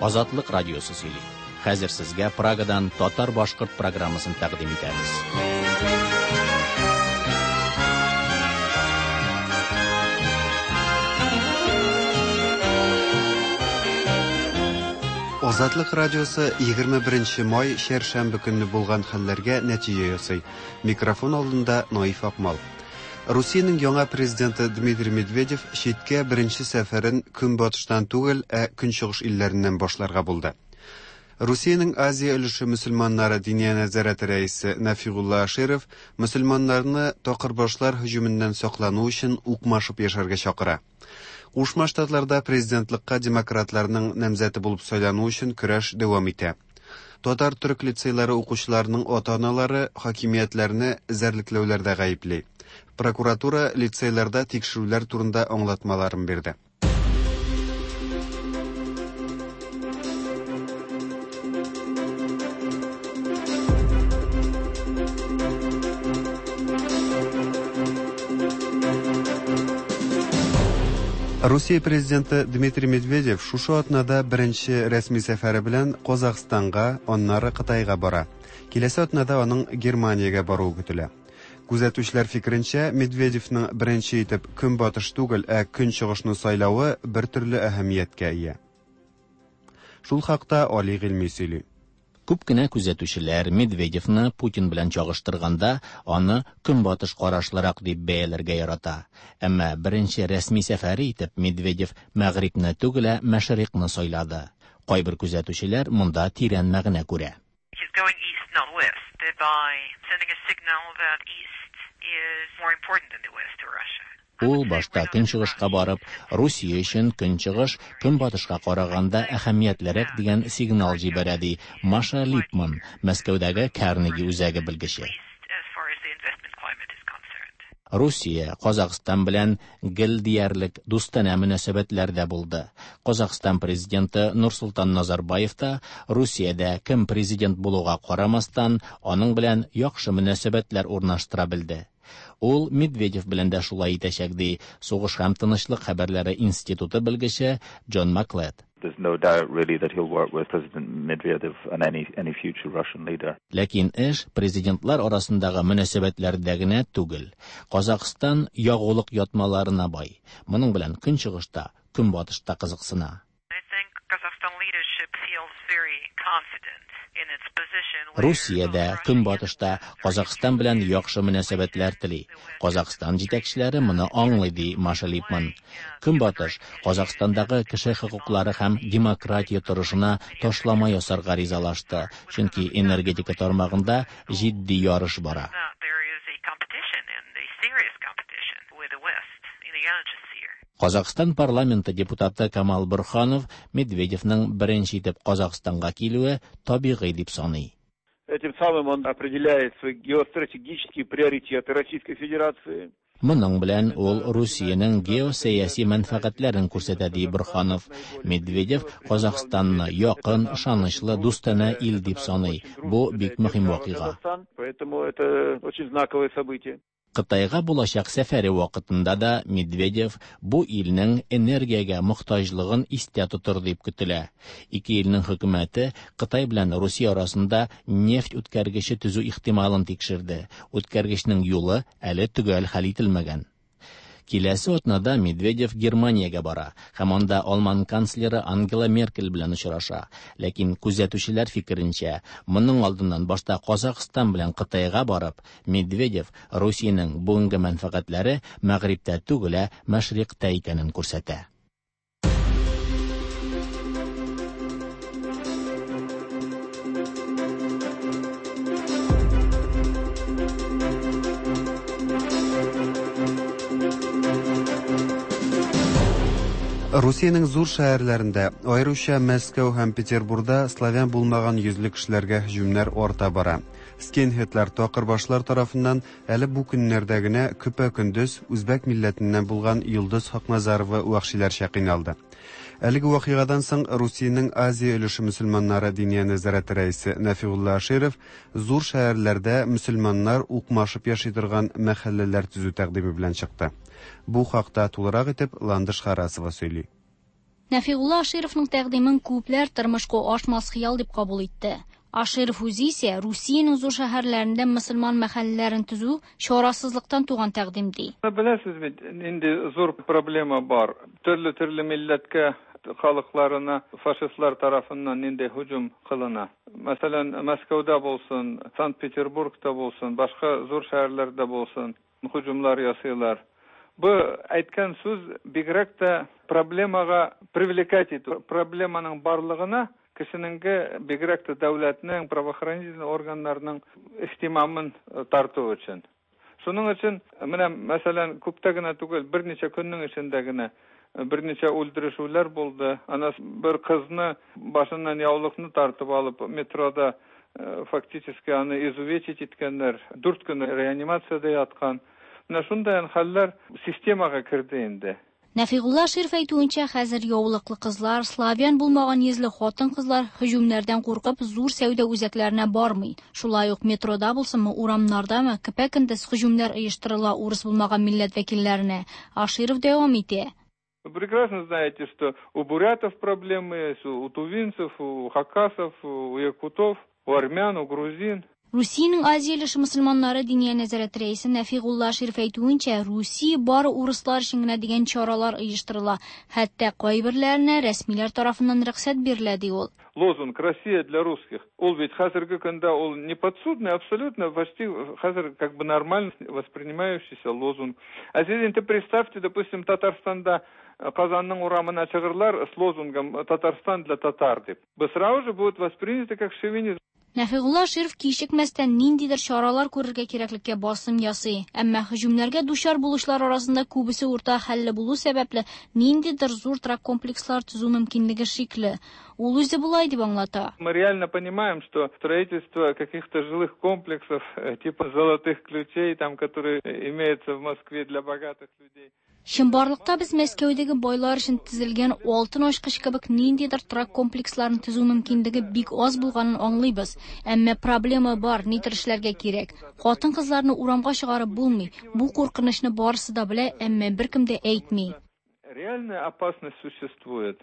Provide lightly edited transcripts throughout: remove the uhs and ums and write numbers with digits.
Азатлык радиосы сөйли. Хәзер сезгә Прагадан татар-башкорт программасын тәкъдим итәбез. Азатлык радиосы 21 май чәршәмбе көнне булган хәлләргә нәтиҗә ясый. Микрофон алдында Наиф Акмал. Русиянең яңа президенты Дмитрий Медведев читкә беренче сәфәрен көнбатыштан түгел, ә көнчыгыш илләреннән башларга булды. Русиянең Азия өлеше мөселманнары диния нәзарәте рәисе Нәфигулла Аширов мөселманнарны такырбашлар һөҗүменнән саклану өчен укмашып яшәргә чакыра. Кушма Штатларда президентлыкка демократларның намзәте булып сайлану өчен көрәш дәвам итә. Татар-төрек лицейлары укучыларының ата-аналары хакимиятләрне эзәрлекләүләрдә гаепли. Прокуратура лицейларда тикшерүләр турында аңлатмаларын бирде. Русия президенты Дмитрий Медведев шушы атнада беренче рәсми сәфәре белән Казахстанга, аннары Кытайга бара. Киләсе атнада аның Германиягә баруы көтелә. Күзәтүчеләр фикеренчә, Медведевның беренче итеп көнбатыш түгел, ә көнчыгышны сайлавы бер төрле әһәмияткә ия. Шул хакта Али Гыйльми сөйли. Күп кенә күзәтүчеләр Медведевны Путин белән чагыштырганда аны көнбатыш карашлырак дип бәяләргә ярата. Әмма беренче рәсми сәфәре итеп Медведев Мәгърибне түгел, ә Мәшрикъны сайлады. Кайбер күзәтүчеләр монда тирән мәгънә күрә. He's going east, not west, thereby sending a signal that east is more important than the west to Russia. Ул башта көнчыгышка барып, Русия өчен көнчыгыш көнбатышка караганда әһәмиятлерәк дигән сигнал җибәрә, ди Маша Липман, Мәскәүдәге Карнеги үзәге белгече. As far as the investment climate is concerned. Русия Казахстан белән гел диярлек дустанә мөнәсәбәтләрдә булды. Казахстан президенты Нурсултан Назарбаев та Русиядә кем президент булуга карамастан, аның белән яхшы мөнәсәбәтләр урнаштыра белде. Ул Медведев белән дә шулай итәчәк, ди Сугыш һәм тынычлык хәбәрләре институты белгече Джон Маклет. There's no doubt really that he'll work with President Medvedev and any future Russian leader. Ләкин эш президентлар арасындагы мөнәсәбәтләрдә генә түгел. Казахстан ягулык ятмаларына бай. Моның белән көнчыгышта, көнбатышта кызыксына. I think Kazakhstan leadership feels very confident in its position where Русия дә both Russia and көнбатышта the West are Казахстан белән interested яхшы мөнәсәбәтләр тели. Казахстан җитәкчеләре моны аңлый, ди Маша Липман. Көнбатыш Казахстандагы кеше хокуклары һәм демократия торышына ташлама ясарга ризалашты, чөнки энергетика тармагында җитди ярыш бара. that there is a competition and a serious competition with the West in the energy sphere. Казахстан парламенты депутаты Камал Бурханов Медведевның беренче итеп Казахстанга килүе табигый дип саный. Этим самым он определяет свои геостратегические приоритеты Российской Федерации. Моның белән ул Русиянең геосәяси мәнфәгатьләрен күрсәтә, ди Бурханов. Медведев Казахстанны якын, ышанычлы, дустанә ил дип саный. Бу бик мөһим вакыйга. Казахстан, поэтому это очень знаковое событие. Кытайга булачак сәфәре вакытында да Медведев бу илнең энергиягә мохтаҗлыгын истә тотыр дип көтелә. Ике илнең хөкүмәте Кытай белән Русия арасында нефть үткәргече төзү ихтималын тикшерде. Үткәргечнең юлы әле төгәл хәл ителмәгән. Киләсе атнада Медведев Германиягә бара һәм анда алман канцлеры Ангела Меркель белән очраша. Ләкин күзәтүчеләр фикеренчә, моның алдыннан башта Казахстан белән Кытайга барып, Медведев Русиянең бүгенге мәнфәгатьләре Мәгърибтә түгел, ә Мәшрикътә икәнен күрсәтә. Русиянең зур шәһәрләрендә, аеруча Мәскәү һәм Петербурда славян булмаган йөзле кешеләргә һөҗүмнәр арта бара. Скинхедлар такырбашлар тарафыннан әле бу көннәрдә генә көпә-көндез үзбәк милләтеннән булган Йолдыз Хакназарова вәхшиләрчә кыйналды. Әлеге вакыйгадан соң Русиянең Азия өлеше мөселманнары диния нәзарәте рәисе Нәфигулла Аширов зур шәһәрләрдә мөселманнар укмашып яши торган мәхәлләләр төзү тәкъдиме белән чыкты. Бу хакта тулырак итеп Ландыш Харасова сөйли. Нәфигулла Ашировның тәкъдимен күпләр тормышка ашмас хыял дип кабул итте. Аширов үзе исә Русиянең зур шәһәрләрендә мөселман мәхәлләләрен төзү чарасызлыктан туган тәкъдим ди. Беләсез бит, нинди зур проблема бар. Төрле-төрле милләткә, халыкларына фашистлар тарафыннан нинди һөҗүм кылына. Мәсәлән, Мәскәүдә булсын, Санкт-Петербургта булсын, башка зур шәһәрләрдә булсын, һөҗүмләр ясыйлар. Бу әйткән сүз бигрәк тә проблемага привлекать итү, проблеманың барлыгына кешенеңге, бигрәк тә дәүләтнең, правоохранительный органнарның ихтимамын тарту өчен. Шуның өчен, менә, мәсәлән, күптә генә түгел, берничә көннең эчендә генә берничә үлдерешүләр булды. Ана бер кызны башыннан яулыкны тартып алып, метрода фактически аны изувечить иткәннәр. 4 көн реанимациядә яткан. Менә шундый хәлләр системага керде инде. Нәфигулла Аширов әйтүенчә, хәзер яулыклы кызлар, славян булмаган йөзле хатын-кызлар һөҗүмнәрдән куркып зур сәүдә үзәкләренә бармый. Шулай ук метрода булсынмы, урамнардамы, көпә-көндез һөҗүмнәр оештырыла урыс булмаган милләт вәкилләренә. Аширов дәвам итә. Вы прекрасно знаете, что у бурятов проблемы есть, у тувинцев, у хакасов, у якутов, у армян, у грузин. Русиянең Азия өлеше мөселманнары Диния нәзарәте рәисе Нәфигулла Аширов әйтүенчә, Русия бары урыслар өчен генә дигән чаралар оештырыла. Хәтта кайберләренә рәсмиләр тарафыннан рөхсәт бирелә, ди ул. Лозунг «Россия для русских». Ул бит хәзерге көндә ул не подсудный, абсолютно почти хәзер как бы нормально воспринимающийся лозунг. А сез инде представьте, допустим, Татарстанда Казанның урамына чыгырлар с лозунгом «Татарстан для татар» дип. Бу сразу же будет воспринято как шовинизм. Нәфигулла Аширов кичекмәстән ниндидер чаралар күрергә кирәклеккә басым ясый. Әмма һөҗүмнәргә дучар булучылар арасында күбесе урта хәлле булу сәбәпле, ниндидер зур торак комплекслар төзү мөмкинлеге шикле. Ул үзе болай дип аңлата. Мы реально понимаем, что строительство каких-то жилых комплексов, типа золотых ключей, там, которые имеются в Москве для богатых людей. Чынбарлыкта без Мәскәүдәге байлар өчен төзелгән алтын ачкыч кебек ниндидер торак комплексларын төзү мөмкинлеге бик аз булганын аңлыйбыз. Әмма проблема бар, нидер эшләргә кирәк. Хатын-кызларны урамга чыгарып булмый. Бу куркынычны барысы да белә, әмма беркем дә әйтми. Реальная опасность существует.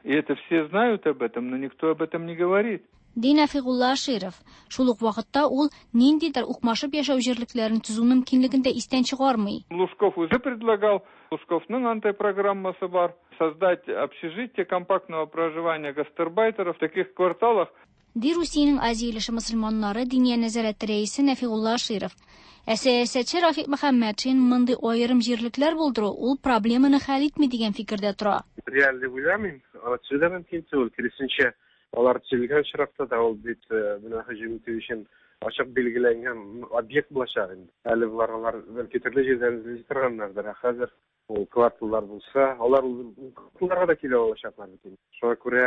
И это все знают об этом, но никто об этом не говорит. Ди Нәфигулла Аширов. Шул ук вакытта ул ниндидер укмашып яшәү җирлекләрен төзү мөмкинлеген дә истән чыгармый. Лужков уже предлагал, Лужковның антипрограммасы бар, создать общежитие компактного проживания гастарбайтеров в таких кварталах. Ди Русиянең Азия өлеше мөселманнары Диния нәзарәте рәисе Нәфигулла Аширов. Ә сәясәтче Рафик Мөхәммәтшин мондый аерым җирлекләр булдыру ул проблеманы хәл итми дигән фикердә тора. Реаль дип уйламыйм. Аны төзү дә мөмкин түгел. Киресенчә, алар төзелгән очракта да ул бит менә һөҗүм итү өчен ачык билгеләнгән объект булачак инде. Әле болар алар бәлки төрле җирдән эзли торганнардыр. Ә хәзер ул кварталлар булса, алар ул кварталларга да килә алачаклар бит инде. Шуңа күрә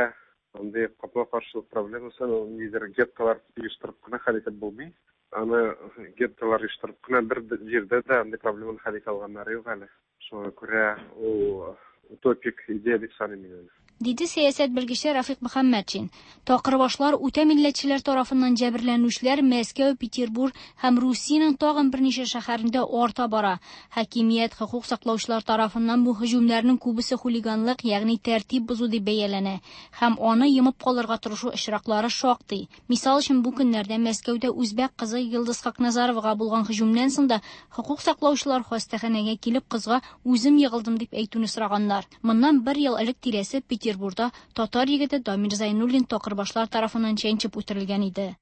андый капма-каршылык проблемасын ул ниндидер геттолар оештырып кына хәл итеп булмый. Аны геттолар оештырып кына бер җирдә дә андый проблеманы хәл итә алганнары юк әле. Шуңа күрә ул утопик идея дип саныйм мин аны. Диде сәясәт белгече Рафик Мөхәммәтшин. Такырбашлар үтә милләтчеләр тарафыннан җәберләнүчеләр Мәскәү, Петербург һәм Русиянең тагын берничә шәһәрендә арта бара. Хакимият хокук саклаучылар тарафыннан бу һөҗүмнәрнең күбесе хулиганлык, ягъни тәртип бозу дип бәяләнә һәм аны йомып калырга тырышу очраклары шактый. Мисал өчен, бу көннәрдә Мәскәүдә үзбәк кызы Йылдыз Хакназаровага булган һөҗүмнән соң да хокук саклаучылар хастаханәгә килеп кызга үзем егылдым дип әйтүне сораганнар. Моннан бер ел элек тирәсе Петербургда татар егете Дамир Зайнуллин такырбашлар тарафыннан чәнчеп үтерелгән иде.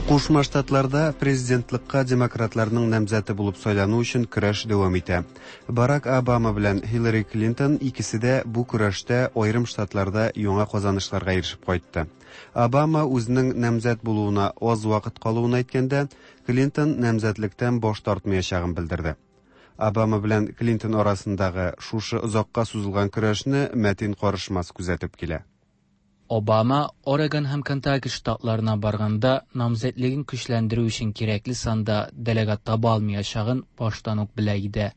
Кушма Штатларда президентлыкка демократларның намзәте булып сайлану өчен көрәш дәвам итә. Барак Обама белән Хиллари Клинтон икесе дә бу көрәштә аерым штатларда яңа казанышларга ирешеп кайтты. Обама үзенең намзәт булуына аз вакыт калуын әйткәндә, Клинтон намзәтлектән баш тартмаячагын белдерде. Обама белән Клинтон арасындагы шушы озакка сузылган көрәшне Мәтин Карышмас күзәтеп килә. Обама Орегон һәм Кентаки штатларына барганда намзәтлеген көчләндерү өчен кирәкле санда делегат таба алмаячагын баштан ук белә иде.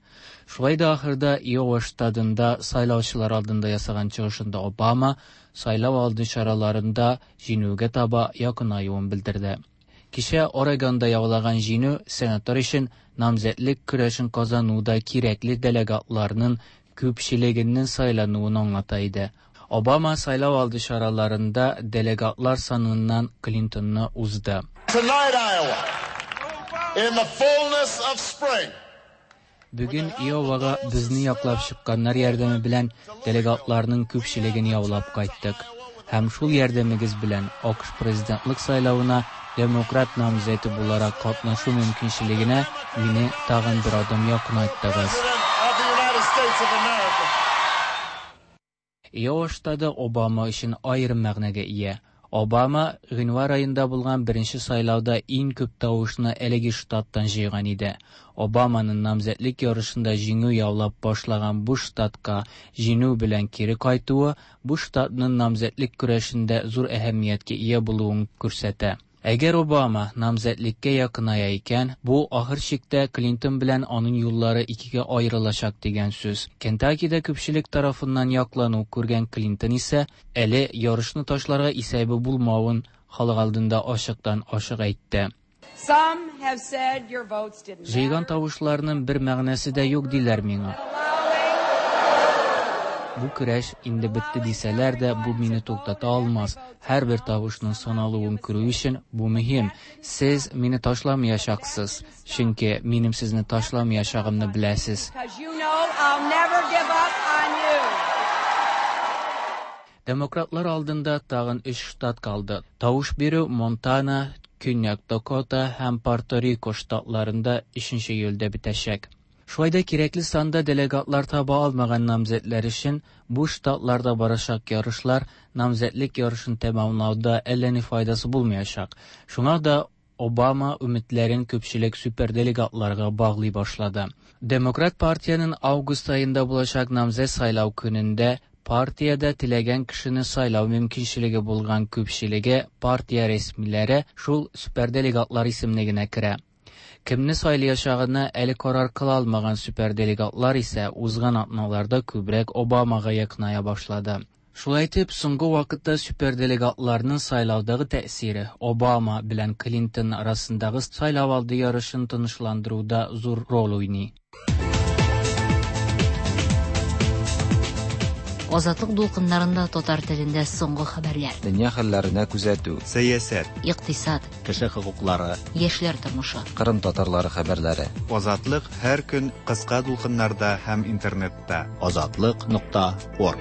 Шулай да ахырда Иова штатында сайлаучылар алдында ясаган чыгышында Обама сайлау алды чараларында җиңүгә таба якынаюын белдерде. Кичә Орегонда яулаган җиңү сенатор өчен намзәтлек көрәшен казануда кирәкле делегатларның күпчелегенең сайлануын аңлата иде. Обама сайлау алды чараларында делегатлар саныннан Клинтонны узды. Tonight, Iowa, in the fullness of spring, Бүген Иовага безне яклап чыкканнар ярдәме белән делегатларның күпчелеген яулап кайттык. Һәм шул ярдәмегез белән АКШ президентлык сайлавына демократ намзәте буларак катнашу мөмкинчелегенә мине тагын бер адым якынайттыгыз. of the United States of America. Иова штаты Обама өчен аерым мәгънәгә ия. Обама гыйнвар аенда булган беренче сайлауда иң күп тавышны әлеге штаттан җыйган иде. Обаманың намзәтлек ярышында җиңү яулап башлаган бу штатка җиңү белән кире кайтуы бу штатның намзәтлек көрәшендә зур әһәмияткә ия булуын күрсәтә. Әгәр Обама намзәтлеккә якыная икән, бу ахыр чиктә Клинтон белән аның юллары икегә аерылачак дигән сүз. Кентакида күпчелек тарафыннан яклану күргән Клинтон исә әле ярышны ташларга исәбе булмавын халык алдында ачыктан ачык әйтте. Some have said your votes didn't Җыйган тавышларның бер мәгънәсе дә юк диләр миңа. Бу көрәш инде бетте дисәләр дә, бу мине туктата алмас. Һәрбер тавышның саналуын күрү өчен бу мөһим. Сез мине ташламаячаксыз, чөнки минем сезне ташламаячагымны беләсез. because you know I'll never give up on you. Демократлар алдында тагын өч штат калды. Тавыш бирү Монтана, Көньяк Дакота һәм Пуэрто-Рико штатларында 3 июльдә бетәчәк. Шулай да кирәкле санда делегатлар таба алмаган намзәтләр өчен бу штатларда барачак ярышлар намзәтлек ярышын тәмамлауда әллә ни файдасы булмаячак. Шуңа да Обама өметләрен күпчелек суперделегатларга баглый башлады. Демократ партиянең август аенда булачак намзәт сайлау көнендә партиядә теләгән кешене сайлау мөмкинчелеге булган күпчелеге партия рәсмиләре шул суперделегатлар исемлегенә керә. Кемне сайлаячагына әле карар кыла алмаган суперделегатлар исә узган атналарда күбрәк Обамага якыная башлады. Шулай итеп, соңгы вакытта суперделегатларның сайлаудагы тәэсире Обама белән Клинтон арасындагы сайлау алды ярышын тынычландыруда зур роль уйный. Азатлык дулкыннарында татар телендә соңгы хәбәрләр. Дөнья хәлләренә күзәтү. Сәясәт. Икътисад, Кеше хокуклары. яшьләр тормышы. Кырым татарлары хәбәрләре. Азатлык һәр көн кыска дулкыннарда һәм интернетта. Азатлык.орг.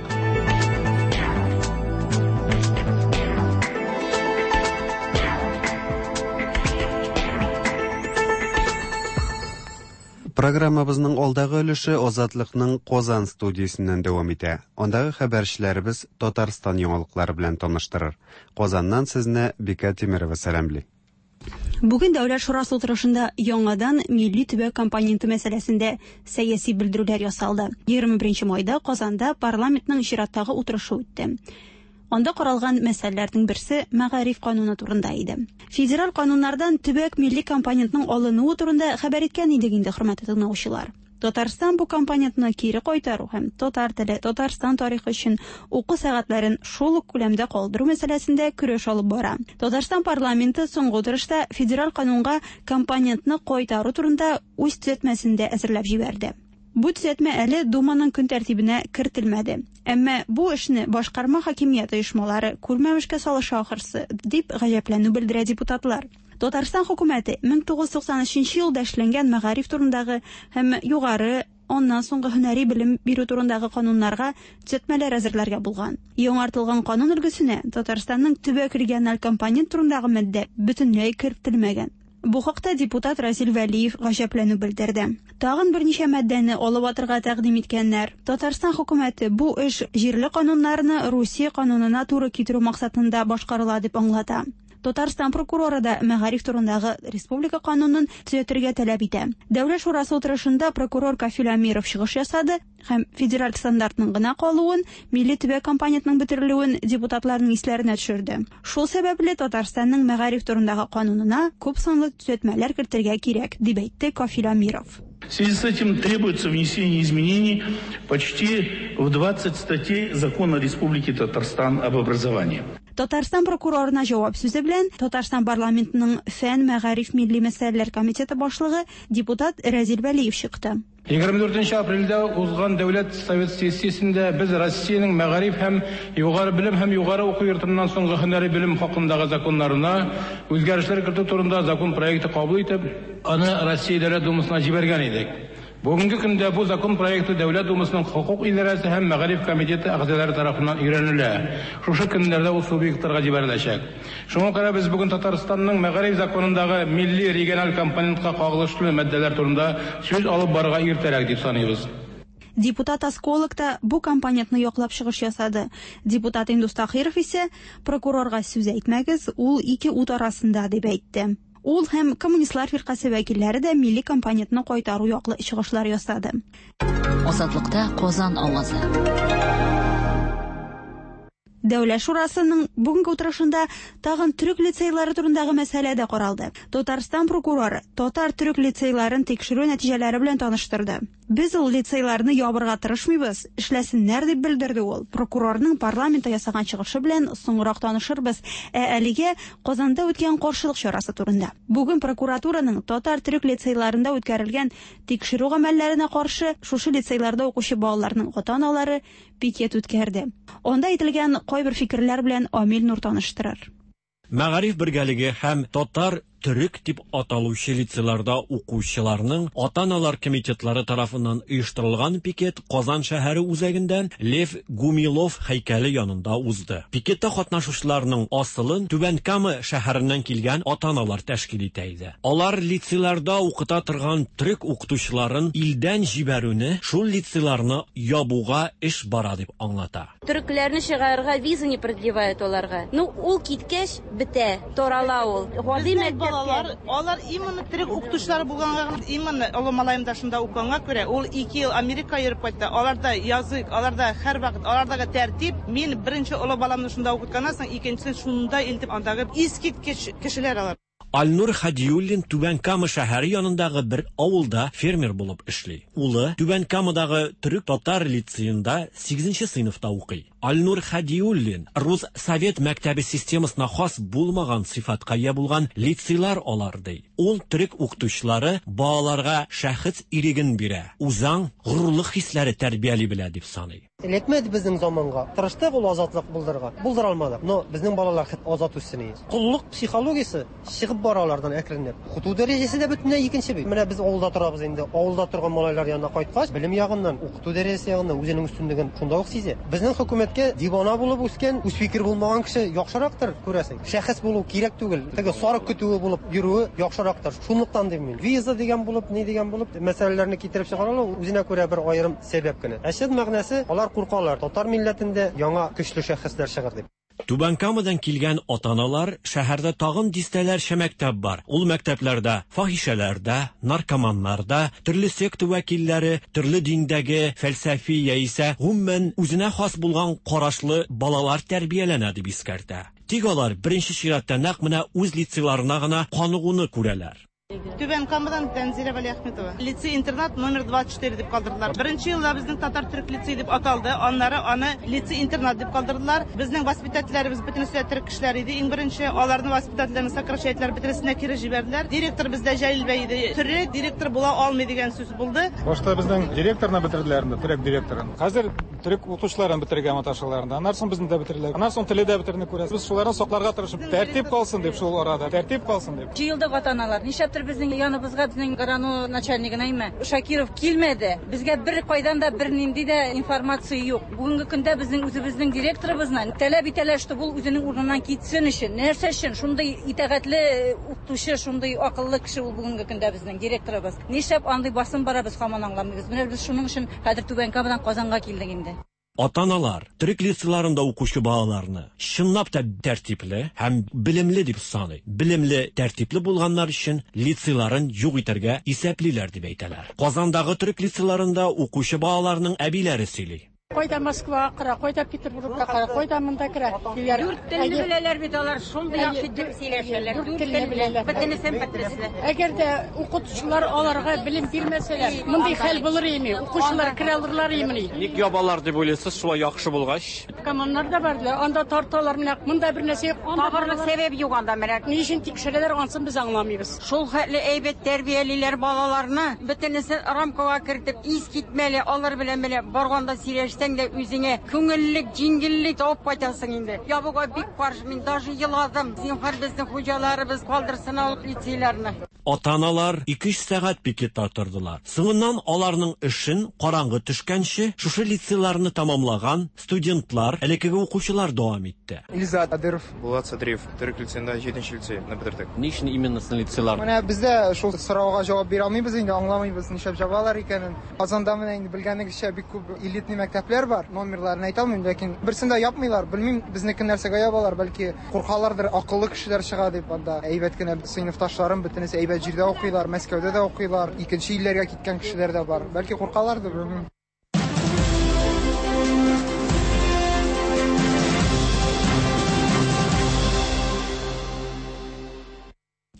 Программабызның алдагы өлеше Азатлыкның Казан студиясеннән дәвам итә. Андагы хәбәрчеләребез Татарстан яңалыклары белән таныштырыр. Казаннан сезне Бика Тимирова сәламли. Бүген Дәүләт шурасы утырышында яңадан милли төбәк компоненты мәсьәләсендә сәяси белдерүләр ясалды. 21 майда Казанда парламентның чираттагы утырышы үтте. Анда каралган мәсьәләләрнең берсе мәгариф кануны турында иде. Федераль кануннардан төбәк милли компонентның алынуы турында хәбәр иткән идек инде, хөрмәтле тыңлаучылар. Татарстан бу компонентны кире кайтару һәм татар теле, Татарстан тарихы өчен уку сәгатьләрен шул ук күләмдә калдыру мәсьәләсендә көрәш алып бара. Татарстан парламенты соңгы утырышта федераль канунга компонентны кайтару турында үз төзәтмәсен дә әзерләп җибәрде. Бу төзәтмә әле Думаның көн тәртибенә кертелмәде. Әмма бу эшне башкарма хакимият оешмалары күрмәмешкә салыша ахрысы, дип гаҗәпләнү белдерә депутатлар. Татарстан хөкүмәте 1993 елда эшләнгән мәгариф турындагы һәм югары аннан соңгы һөнәри белем бирү турындагы кануннарга төзәтмәләр әзерләргә булган. Яңартылган канун өлгесенә Татарстанның төбәк региональ компонент турындагы маддә бөтенләй кертелмәгән. Бу хакта депутат Разил Вәлиев гаҗәпләнү белдерде. Тагын берничә маддәне алып атырга тәкъдим иткәннәр. Татарстан хөкүмәте бу эш җирле кануннарны Русия канунына туры китерү максатында башкарыла дип аңлата. Татарстан прокуроры да мәгариф турындагы республика канунын төзәтергә таләп итә. Дәүләт шурасы утырышында прокурор Кафил Әмиров чыгыш ясады һәм федераль стандартның гына калуын, милли төбәк компонентның бетерелүен депутатларның исләренә төшерде. Шул сәбәпле Татарстанның мәгариф турындагы канунына күп санлы төзәтмәләр кертергә кирәк, дип әйтте Кафил Әмиров. В связи с этим требуется внесение изменений почти в 20 статей Закона Республики Татарстан об образовании. Татарстан прокурорына җавап сүзе белән Татарстан парламентының фән, мәгариф, милли мәсьәләләр комитеты башлыгы депутат Рәзил Вәлиев чыкты. 24 апрельдә узган Дәүләт Совет сессиясендә без Россиянең мәгариф һәм югары белем һәм югары уку йортыннан соңгы һөнәри белем хакындагы законнарына үзгәрешләр кертү турында закон проекты кабул итеп, аны Россия Дәүләт Думасына җибәргән идек. Бүгенге көндә бу закон проекты Дәүләт Думасының хокук идарәсе һәм мәгариф комитеты әгъзалары тарафыннан өйрәнелә. Шушы көннәрдә ул субъектларга җибәреләчәк. Шуңа күрә без бүген Татарстанның мәгариф законындагы милли региональ компонентка кагылышлы маддәләр турында сүз алып барырга иртәрәк дип саныйбыз. Депутат Осколок та бу компонентны яклап чыгыш ясады. Депутат Индус Тахиров исә прокурорга сүз әйтмәгез, ул ике ут арасында дип әйтте. Ул һәм Коммунистлар фиркасе вәкилләре дә милли компонентны кайтару яклы чыгышлар ясады. Азатлыкта Казан авазы. Дәүләт шурасының бүгенге утырышында тагын төрек лицейлары турындагы мәсьәлә дә каралды. Татарстан прокуроры татар төрек лицейларын тикшерү нәтиҗәләре белән таныштырды. Без ул лицейларны ябырга тырышмыйбыз, эшләсеннәр дип белдерде ул. Прокурорның парламентта ясаган чыгышы белән соңрак танышырбыз. Ә әлегә Казанда үткән каршылык чарасы турында. Бүген прокуратураның татар төрек лицейларында үткәрелгән тикшерү гамәлләренә каршы шушы лицейларда укучы балаларның ата-аналары пикет үткәрде. Анда әйтелгән кайбер фикерләр белән Амил Нур таныштырыр. Мәгариф бергәлеге һәм татар төрек дип аталучы лицейларда укучыларның ата-аналар комитетлары тарафыннан оештырылган пикет Казан шәһәре үзәгендә Лев Гумилов һәйкәле янында узды. Пикетта катнашучыларның асылын Түбән Кама шәһәреннән килгән ата-аналар тәшкил итә иде. Алар лицейларда укыта торган төрек укытучыларын илдән җибәрүне шул лицейларны ябуга эш бара дип аңлата. Төрекләрне чыгарырга виза не продлевают аларга. Ну, ул киткәч, бетә, тарала ул. Гади Безнең балалар, алар именно төрек укытучылары булганга, именно олы малаем да шунда укыганга күрә, ул 2 ел Америка йөреп кайтты. Аларда язык, аларда һәрвакыт, алардагы тәртип. Мин беренче олы баламны шунда укытканнан соң, икенчесен шунда илтеп, андагы искиткеч кешеләр алар. Альнур Хадиуллин Түбән Кама шәһәре янындагы бер авылда фермер булып эшли. Улы Түбән Камадагы төрек-татар лицеенда 8 сыйныфта укый. Альнур Хадиуллин рус совет мәктәбе системасына хас булмаган сыйфатка ия булган лицейлар алар ди. Ул төрек укытучылары балаларга шәхес иреген бирә, үзаң, горурлык хисләре тәрбияли белә дип саный. Эләкмәде безнең заманга. Тырыштык ул азатлык булдырырга. Булдыра алмадык. Но безнең балалар хет азат үссен иде. Коллык психологиясе чыгып бара алардан әкренләп. Укыту дәрәҗәсе дә бөтенләй икенче бит. Менә без авылда торабыз инде. Авылда торган малайлар янына кайткач, белем ягыннан, укыту дәрәҗәсе ягыннан үзенең өстенлеген шунда ук сизә. Безнең хөкүмәткә дивана булып үскән, үз фикер булмаган кеше яхшырактыр, күрәсең. Шәхес булу кирәк түгел. Теге сарык көтүе булып йөрүе яхшырактыр. Шунлыктан дим мин. Виза дигән булып, ни дигән булып, мәсьәләләрне китереп чыгаралар, үзенә күрә бер аерым сәбәп кенә. Ә чын мәгънәсе, алар куркалар, татар милләтендә яңа көчле шәхесләр чыгыр дип. Түбән Камадан килгән ата-аналар шәһәрдә тагын дистәләрчә мәктәп бар. Ул мәктәпләрдә фахишәләрдә, наркоманнарда, төрле секта вәкилләре, төрле диндәге фәлсәфи яисә гомумән үзенә хас булган карашлы балалар тәрбияләнә дип искәртә. Тик алар беренче чиратта нәкъ менә үз лицейларына гына каныгуны күрәләр. Түбән Камадан Тәнзилә Вәлиәхметова. Лицей-интернат номер 24 дип калдырдылар. Беренче елда безнең татар төрек лицей дип аталды. Аннары аны лицей-интернат дип калдырдылар. Безнең воспитательләребез бөтенесе дә төрек кешеләр иде. Иң беренче аларны воспитательләрне сокращать иттеләр, бөтенесенә кире җибәрделәр. Директор бездә Җәлил бәй иде. Төрек директор була алмый дигән сүз булды. Башта безнең директорны бетерделәр инде, төрек директорын. Хәзер төрек укытучыларын бетерергә маташалар инде. Аннан соң безне дә бетерделәр. Аннан соң теле дә бетерне күрәсез. Без шуларны сакларга тырышып, тәртип калсын дип шул арада, тәртип калсын дип. Җыелдык ата-аналар. Нишләптер безнең яныбызга безнең районо начальнигына име Шакиров килмәде. Безгә бер кайдан да бер нинди дә информация юк. Бүгенге көндә безнең үзебезнең директорыбызны таләп итәләр, что ул үзенең урыныннан китсен өчен. Нәрсә өчен? Шундый итагатьле укытучы, шундый акыллы кеше ул бүгенге көндә безнең директорыбыз. Нишләп андый басым бара, без һаман аңламыйбыз. Менә без шуның өчен хәзер Түбән Камадан Казанга килдек инде. Ата-аналар төрек лицейларында укучы балаларны чынлап та тәртипле һәм белемле дип саный. Белемле, тәртипле булганнар өчен лицейларын юк итәргә исәплиләр дип әйтәләр. Казандагы төрек лицейларында укучы балаларның әбиләре сөйли. Кайда Москвага керә, кайда Петербургка керә, кайда монда керә. Дүрт телне беләләр бит алар, шундый яхшы итеп сөйләшәләр. Дүрт телне беләләр. Бөтенесен бөтенесе. Әгәр дә укытучылар аларга белем бирмәсәләр, мондый хәл булыр име? Укучылар керә алырлар имени? Ник ябалар дип уйлыйсыз, шулай яхшы булгач? Коммуннар да бар, анда тарталар менә. Монда бер нәрсә юк. Тагырлык сәбәп юк анда менә. Ни өчен тикшерәләр, ансын без аңламыйбыз. Шул хәтле әйбәт тәрбиялиләр балаларны, бөтенесен рамкага кертеп, ис китмәле, алар белән менә барганда сөйләшсәң дә үзеңә күңеллек, җиңеллек алып кайтасың инде. Ябуга бик каршы, мин даже еладым. Зинһар безнең хуҗаларыбыз калдырсын алып лицейларны. Ата-аналар 2-3 сәгать пикетта тордылар. Соңыннан аларның эшен караңгы төшкәнче шушы лицейларны тәмамлаган студентлар, элеккеге укучылар дәвам итте. Илзат Адыров, Булат Садриев, төрек лицеенда 7 лицейны бетердек. Ни өчен именно лицейлар? Менә бездә шул сорауга җавап бирә алмыйбыз инде, аңламыйбыз нишләп җабалар икәнен. Казанда менә инде белгәнегезчә бик күп элитный мәктәпләр бар. Номерларын әйтә алмыйм, ләкин берсен дә япмыйлар. Белмим, безнеке нәрсәгә ябалар, бәлки куркалардыр, акыллы кешеләр чыга дип анда. Әйбәт кенә сыйныфташларым бөтенесе әйбәт җирдә укыйлар, Мәскәүдә дә укыйлар, икенче илләргә киткән кешеләр дә бар. Бәлки куркалардыр, белмим.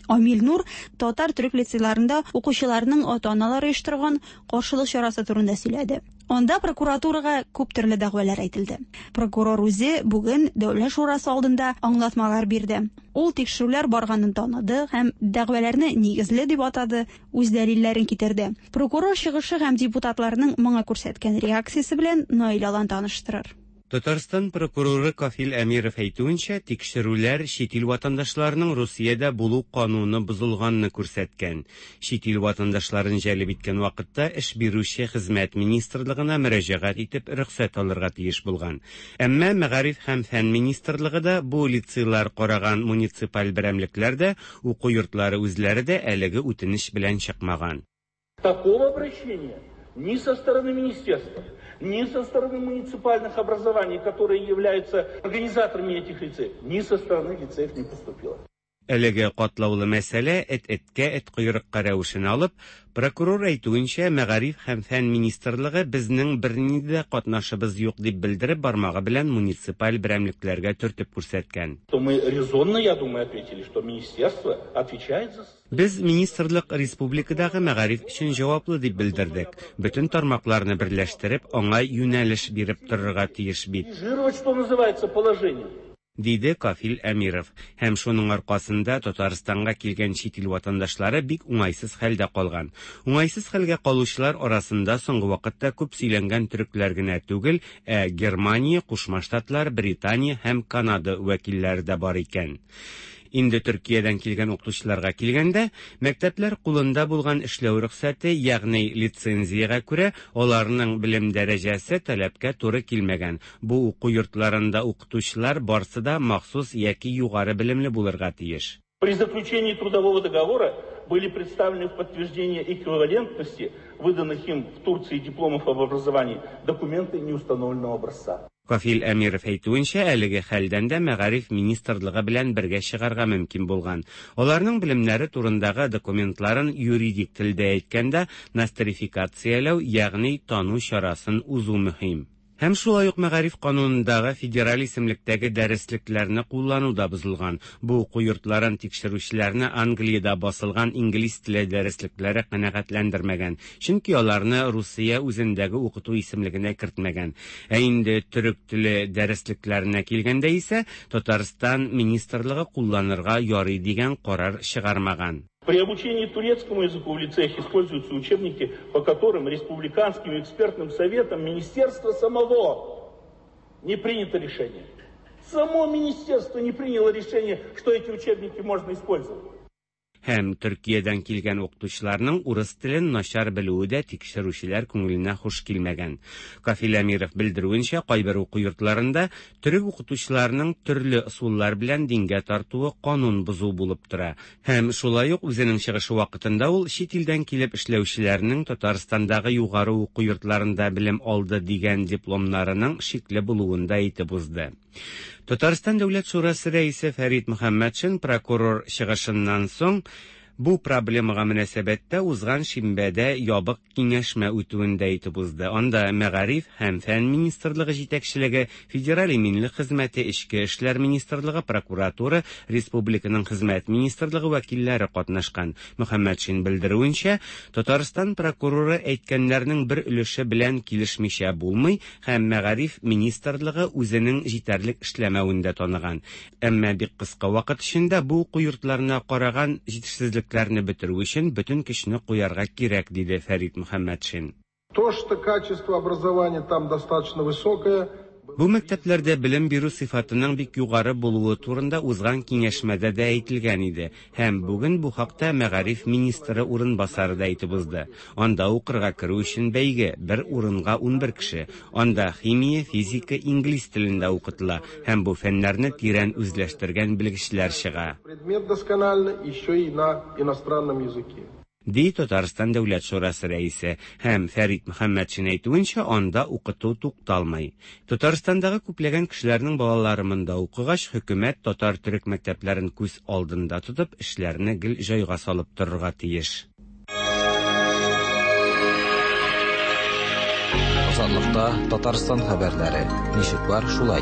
Амил Нур татар төрек лицейларында укучыларның ата-аналары оештырган каршылык чарасы турында сөйләде. Анда прокуратурага күп төрле дәгъвалар әйтелде. Прокурор үзе бүген Дәүләт шурасы алдында аңлатмалар бирде. Ул тикшерүләр барганын таныды һәм дәгъваларны нигезле дип атады, үз дәлилләрен китерде. Прокурор чыгышы һәм депутатларның моңа күрсәткән реакциясе белән Наил Алан таныштырыр. Татарстан прокуроры Кафил Әмиров әйтүенчә, тикшерүләр чит ил ватандашларының Русиядә булу кануны бозылганны күрсәткән. Чит ил ватандашларын җәлеп иткән вакытта эш бирүче хезмәт министрлыгына мөрәҗәгать итеп рөхсәт алырга тиеш булган. Әмма Мәгариф һәм фән министрлыгы да бу лицейлар караган муниципаль берәмлекләр дә, уку йортлары үзләре дә әлеге үтенеч белән чыкмаган. Такого обращения ни со стороны министерства, ни со стороны муниципальных образований, которые являются организаторами этих лицеев, ни со стороны лицеев не поступило. Әлеге катлаулы мәсьәлә эт-эткә, эт койрыкка рәвешен алып, прокурор әйтүенчә, Мәгариф һәм фән министрлыгы безнең бернинди дә катнашыбыз юк дип белдереп, бармагы белән муниципаль берәмлекләргә төртеп күрсәткән. То мы резонно, я думаю, ответили, что министерство отвечает за Без министрлык республикадагы мәгариф өчен җаваплы дип белдердек. Бөтен тармакларны берләштереп, аңа юнәлеш биреп торырга тиеш бит. Что называется, положение. Диде Кафил Әмиров. Һәм шуның аркасында Татарстанга килгән чит ил ватандашлары бик уңайсыз хәлдә калган. Уңайсыз хәлгә калучылар арасында соңгы вакытта күп сөйләнгән төрекләр генә түгел, ә Германия, Кушма Штатлар, Британия һәм Канада вәкилләре дә бар икән. Инде Төркиядән килгән укытучыларга килгәндә, мәктәпләр кулында булган эшләү рөхсәте, ягъни лицензиягә күрә, аларның белем дәрәҗәсе таләпкә туры килмәгән. Бу уку йортларында укытучылар барсы да махсус яки югары белемле булырга тиеш. При заключении трудового договора были представлены в подтверждение эквивалентности выданных им в Турции дипломов об образовании документы неустановленного образца. Кафил Әмиров әйтүенчә, әлеге хәлдән дә Мәгариф министрлыгы белән бергә чыгарга мөмкин булган. Аларның белемнәре турындагы документларын юридик телдә әйткәндә нострификацияләү, ягъни тану чарасын узу мөһим. Һәм шулай ук Мәгариф канунындагы федераль исемлектәге дәреслекләрне куллану да бозылган. Бу уку йортларын тикшерүчеләрне Англиядә басылган инглиз теле дәреслекләре канәгатьләндермәгән, чөнки аларны Русия үзендәге укыту исемлегенә кертмәгән. Ә инде төрек теле дәреслекләренә килгәндә исә, Татарстан министрлыгы кулланырга ярый дигән карар чыгармаган. При обучении турецкому языку в лицеях используются учебники, по которым Республиканским экспертным советом министерства самого не принято решение. Само министерство не приняло решение, что эти учебники можно использовать. Һәм Төркиядән килгән укытучыларның урыс телен начар белүе дә тикшерүчеләр күңеленә хуш килмәгән. Кафил Әмиров белдерүенчә, кайбер уку йортларында төрек укытучыларының төрле ысуллар белән дингә тартуы канун бозу булып тора. Һәм шулай ук үзенең чыгышы вакытында ул чит илдән килеп эшләүчеләрнең Татарстандагы югары уку йортларында белем алды дигән дипломнарының шикле булуын да әйтеп узды. Татарстан Дәүләт шурасы рәисе Фәрит Мөхәммәтшин прокурор чыгышыннан соң бу проблемага мөнәсәбәттә узган шимбәдә ябык киңәшмә үтүен дә әйтеп узды. Анда Мәгариф һәм фән министрлыгы җитәкчелеге, Федераль иминлек хезмәте, Эчке эшләр министрлыгы, прокуратура, республиканың хезмәт министрлыгы вәкилләре катнашкан. Мөхәммәтшин белдерүенчә, Татарстан прокуроры әйткәннәрнең бер өлеше белән килешмичә булмый һәм Мәгариф министрлыгы үзенең җитәрлек эшләмәвен дә таныган. Әмма бик кыска вакыт эчендә бу уку йортларына караган җитешсезлекләрне бетерү өчен бөтен көчне куярга кирәк, диде Фәрит Мөхәммәтшин. То, что качество образования там достаточно высокое, Бу мәктәпләрдә белем бирү сыйфатының бик югары булуы турында узган киңәшмәдә дә әйтелгән иде һәм бүген бу хакта мәгариф министры урынбасары да әйтеп узды. Анда укырга керү өчен бәйге, бер урынга 11 кеше. Анда химия, физика, инглиз телендә укытыла һәм бу фәннәрне тирән үзләштергән белгечләр чыга. Предмет досконально еще и на иностранном языке. Ди Татарстан Дәүләт шурасы рәисе һәм Фәрит Мөхәммәтшин әйтүенчә, анда укыту тукталмый. Татарстандагы күпләгән кешеләрнең балалары монда укыгач, хөкүмәт татар-төрек мәктәпләрен күз алдында тотып, эшләрне гел җайга салып торырга тиеш. Азатлыкта Татарстан хәбәрләре. Ничек бар, шулай.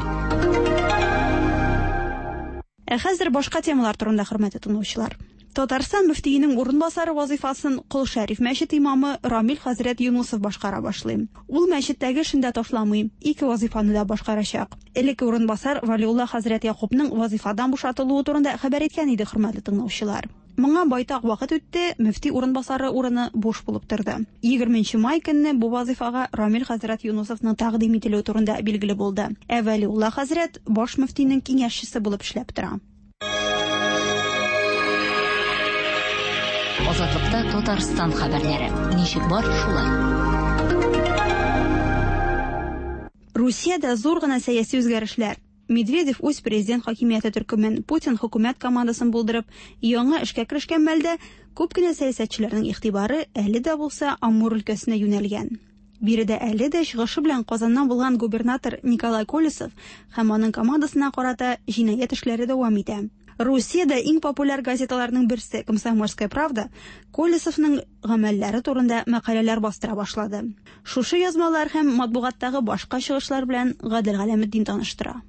Ә хәзер башка темалар турында, хөрмәтле тыңлаучылар. Татарстан мөфтиенең урынбасары вазыйфасын Кол Шәриф мәчете имамы Рамил хәзрәт Юнусов башкара башлый. Ул мәчеттәге эшен дә ташламый, ике вазыйфаны да башкарачак. Элекке урынбасар Валиулла хәзрәт Якупның вазыйфадан бушатылуы турында хәбәр иткән иде, хөрмәтле тыңлаучылар. Моңа байтак вакыт үтте, мөфти урынбасары урыны буш булып торды. 20 май көнне бу вазыйфага Рамил хәзрәт Юнусовның тәкъдим ителүе турында билгеле булды. Ә Вәлиулла хәзрәт баш мөфтинең киңәшчесе булып эшләп тора. Азатлыкта Татарстан хәбәрләре. Ничек бар, шулай. Русиядә зур гына сәяси үзгәрешләр. Медведев үз президент хакимияте төркемен, Путин хөкүмәт командасын булдырып, яңа эшкә керешкән мәлдә күп кенә сәясәтчеләрнең игътибары әле дә булса Амур өлкәсенә юнәлгән. Биредә әле дә чыгышы белән Казаннан булган губернатор Николай Колесов һәм аның командасына карата җинаять эшләре дәвам итә. Русиядә иң популяр газеталарның берсе «Комсомольская правда» Колесовның гамәлләре турында мәкаләләр бастыра башлады. Шушы язмалар һәм матбугаттагы башка чыгышлар белән Гадел Галәметдин таныштыра.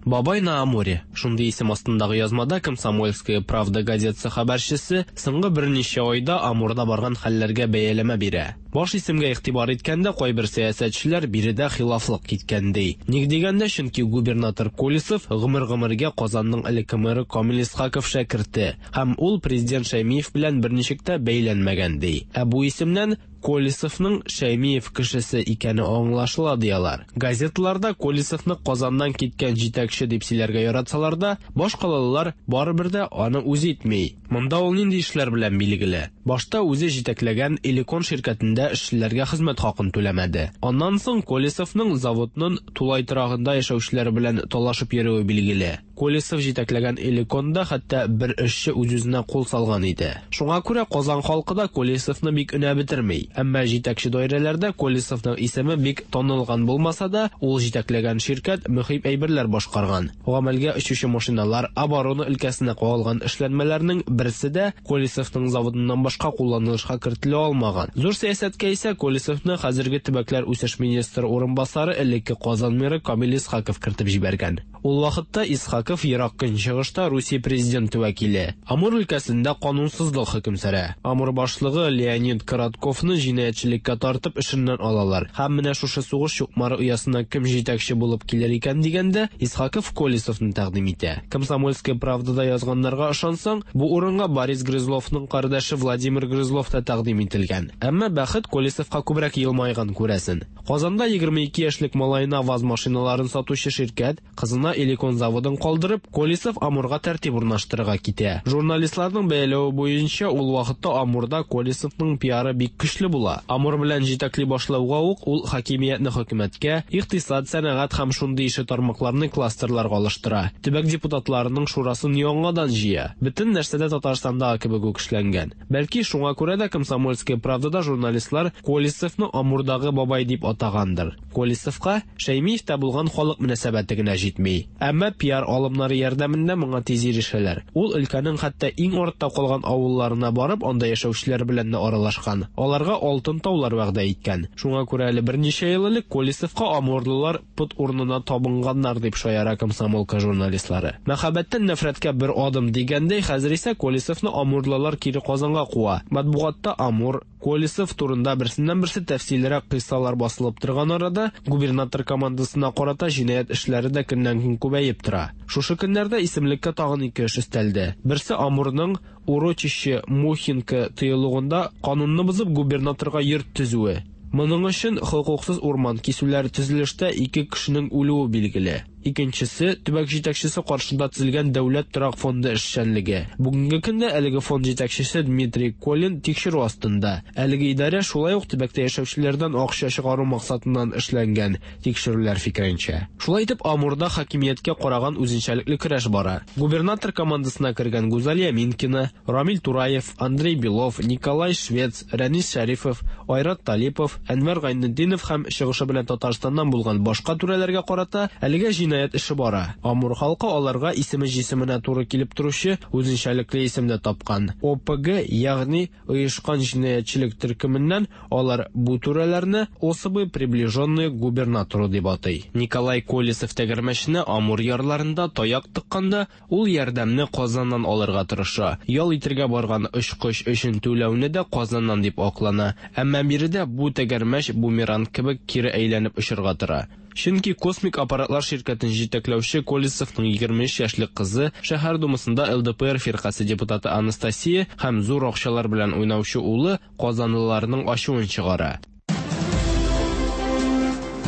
Бабай на Амуре. Шундый исем астындагы язмада «Комсомольская правда» газетасы хәбәрчесе соңгы берничә айда Амурда барган хәлләргә бәяләмә бирә. Баш исемгә игътибар иткәндә кайбер сәясәтчеләр биредә хилафлык киткән ди. Ник дигәндә, чөнки губернатор Колесов гомер-гомергә Казанның элекке мэры Камил Исхаков шәкерте һәм ул президент Шәймиев белән берничек тә бәйләнмәгән ди. Ә бу исемнән Колесовның Шәймиев кешесе икәне аңлашыла ди алар. Газеталарда Колесовны Казаннан киткән җитәкче дип сөйләргә яратсалар да, башкалалылар барыбер дә аны үз итми. Монда ул нинди эшләр белән билгеле? Башта үзе җитәкләгән Элекон ширкәтендә эшчеләргә хезмәт хакын түләмәде. Аннан соң Колесовның заводның тулай торагында яшәүчеләр белән талашып йөрүе билгеле. Колесов җитәкләгән Элеконда хәтта бер эшче үз-үзенә кул салган иде. Шуңа күрә Казан халкы да Колесовны бик өнәп бетерми. Әмма җитәкче даирәләрдә Колесовның исеме бик танылган булмаса да, ул җитәкләгән ширкәт мөһим әйберләр башкарган. Гамәлгә очучы машиналар, оборона өлкәсенә кагылган эшләнмәләрнең берсе дә Колесовның заводыннан башка кулланылышка кертелә алмаган. Зур сәясәткә исә Колесовны хәзерге төбәкләр үсеш министры урынбасары элекке Казан мэры Камил Исхаков кертеп җибәргән. Ул вакытта Исхаков Ерак Көнчыгышта Русия президенты вәкиле. Амур өлкәсендә канунсызлык хөкем сөрә. Амур башлыгы Леонид Коротковны җинаятьчелеккә тартып эшеннән алалар. Һәм менә шушы сугыш чукмары оясына кем җитәкче булып килер икән дигәндә, Исхаков Колесовны тәкъдим итә. Комсомольская правдада язганнарга ышансаң, бу урынга Борис Грызловның кардәше Владимир Грызлов та тәкъдим ителгән. Әмма бәхет Колесовка күбрәк елмайган, күрәсен. Казанда 22 яшьлек малаена ВАЗ машиналарын сатучы ширкәт, кызына Элекон заводын калдырып, Колесов Амурга тәртип урнаштырырга китә. Журналистларның бәяләве буенча, ул вакытта Амурда Колесовның пиары бик көчле була. Амур белән җитәкли башлауга ук ул хакимиятне хөкүмәткә, икътисад, сәнәгать һәм шундый ише тармакларны кластерларга алыштыра. Төбәк депутатларының шурасын яңадан җыя. Бөтен нәрсә дә Татарстандагы кебек үк эшләнгән. Бәлки, шуңа күрә дә Комсомольская правдада журналистлар Колесовны Амурдагы бабай дип атагандыр. Колесовка Шәймиевтә булган халык мөнәсәбәте генә җитми. Әмма пиар алымнары ярдәмендә моңа тиз ирешәләр. Ул өлкәнең хәтта иң артта калган авылларына барып, анда яшәүчеләр белән дә аралашкан. Аларга алтын таулар вәгъдә иткән. Шуңа күрә әле берничә ел элек Колесовка амурлылар пот урынына табынганнар, дип шаяра Комсомолка журналистлары. Мәхәббәттән нәфрәткә бер адым дигәндәй, хәзер исә Колесовны амурлылар кире Казанга куа. Матбугатта Амур, Колесов турында берсеннән-берсе тәфсиллерәк кыйссалар басылып торган арада, губернатор командасына карата җинаять эшләре дә көннән-көн күбәеп тора. Шушы көннәрдә исемлеккә тагын ике эш өстәлде. Берсе Амурның Урочище Мухинка тыюлыгында канунны бозып губернаторга йорт төзүе. Моның өчен хокуксыз урман кисүләр, төзелештә ике кешенең үлүе билгеле. Икенчесе, төбәк җитәкчесе каршында төзелгән Дәүләт торак фонды эшчәнлеге. Бүгенге көндә әлеге фонд җитәкчесе Дмитрий Колин тикшерү астында. Әлеге идарә шулай ук төбәктә яшәүчеләрдән акча чыгару максатыннан эшләнгән, тикшерүләр фикеренчә. Шулай итеп, Амурда хакимияткә караган үзенчәлекле көрәш бара. Губернатор командасына кергән Гүзалия Минкина, Рамил Тураев, Андрей Белов, Николай Швец, Рәнис Шәрифов, Айрат Талипов, Әнвәр Гайнетдинов һәм чыгышы белән Татарстаннан булган башка түрәләргә карата әлегә җинаять эше бара. Амур халкы аларга исеме җисеменә туры килеп торучы үзенчәлекле исем дә тапкан. ОПГ, ягъни оешкан җинаятьчелек төркеменнән алар бу түрәләрне особы приближенные к губернатору дип атый. Николай Колесов тәгәрмәченә Амур ярларында таяк тыкканда, ул ярдәмне Казаннан алырга тырыша. Ял итергә барган очкыч өчен түләүне дә Казаннан дип аклана. Әмма биредә бу тәгәрмәч бумеранг кебек кире әйләнеп очырга тора. Чөнки Космик аппаратлар ширкәтен җитәкләүче Колесовның 23 яшьлек кызы, шәһәр думасында ЛДПР фиркасе депутаты Анастасия һәм зур акчалар белән уйнаучы улы казанлыларның ачуын чыгара.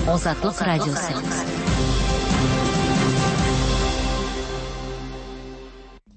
Азатлык радиосы.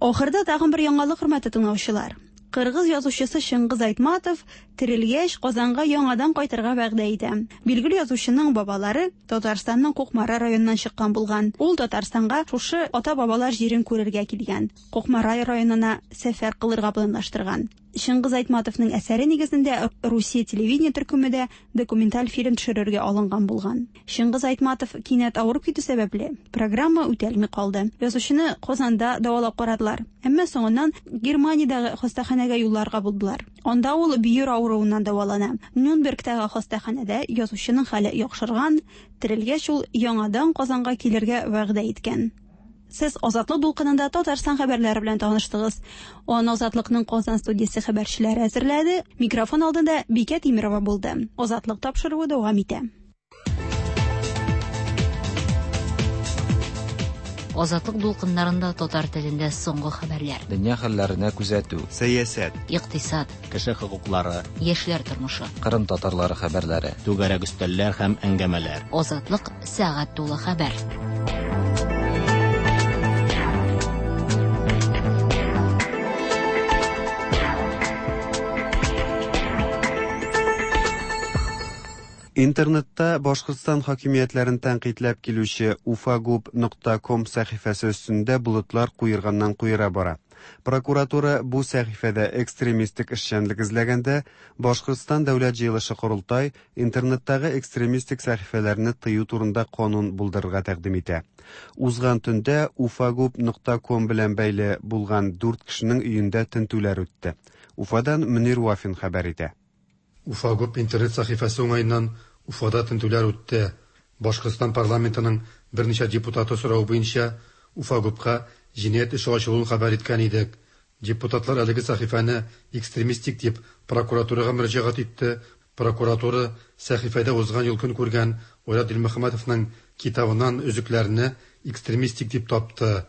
Ахырда тагын бер яңалык, хөрмәтле тыңлаучылар. Кыргыз язучысы Чыңгыз Айтматов терелгәч Казанга яңадан кайтырга вәгъдә итә. Билгеле язучының бабалары Татарстанның Кукмара районыннан чыккан булган. Ул Татарстанга шушы ата-бабалар җирен күрергә килгән. Кукмара районына сәфәр кылырга планлаштырган. Чыңгыз Айтматовның әсәре нигезендә Русия телевидение төркеме дә документаль фильм төшерергә алынган булган. Чыңгыз Айтматов кинәт авырып китү сәбәпле, программа үтәлми калды. Язучыны Казанда дәвалап карадылар. Әмма соңыннан Германиядәге хастаханәгә юлларга булдылар. Анда ул бөер авыруыннан дәвалана. Нюрнбергтагы хастаханәдә язучының хәле яхшырган, терелгәч ул яңадан Казанга килергә вәгъдә иткән. Сез Азатлык дулкынында Татарстан хәбәрләре белән таныштыгыз. Аны Азатлыкның Казан студиясе хәбәрчеләре әзерләде. Микрофон алдында Бикә Тимирова булды. Азатлык тапшыруы дәвам итә. Азатлык дулкыннарында татар телендә соңгы хәбәрләр. Дөнья хәлләренә күзәтү. Сәясәт. Икътисад. Кеше хокуклары. Яшьләр тормышы. Кырым татарлары хәбәрләре. Түгәрәк өстәлләр һәм әңгәмәләр. Азатлык сәгать тулы хәбәр. Интернетта Башкортстан хакимиятләрен тәнкыйтьләп килүче ufagub.com сәхифәсе өстендә болытлар куерганнан куера бара. Прокуратура бу сәхифәдә экстремистик эшчәнлек эзләгәндә, Башкортстан дәүләт җыелышы корылтай интернеттагы экстремистик сәхифәләрне тыю турында канун булдырырга тәкъдим итә. Узган төндә ufagub.com белән бәйле булган 4 кешенең өендә тентүләр үтте. Уфадан Мөнир Вафин хәбәр итә. Уфагуб интернет сәхифәсе уңаеннан Уфада тентүләр үтте. Башкортстан парламентының берничә депутаты соравы буенча Уфагубка җинаять эше ачылуын хәбәр иткән идек. Депутатлар әлеге сәхифәне экстремистик дип прокуратурага мөрәҗәгать итте. Прокуратура сәхифәдә узган ел көн күргән Айрат Дилмөхәммәтовның китабыннан өзекләрне экстремистик дип тапты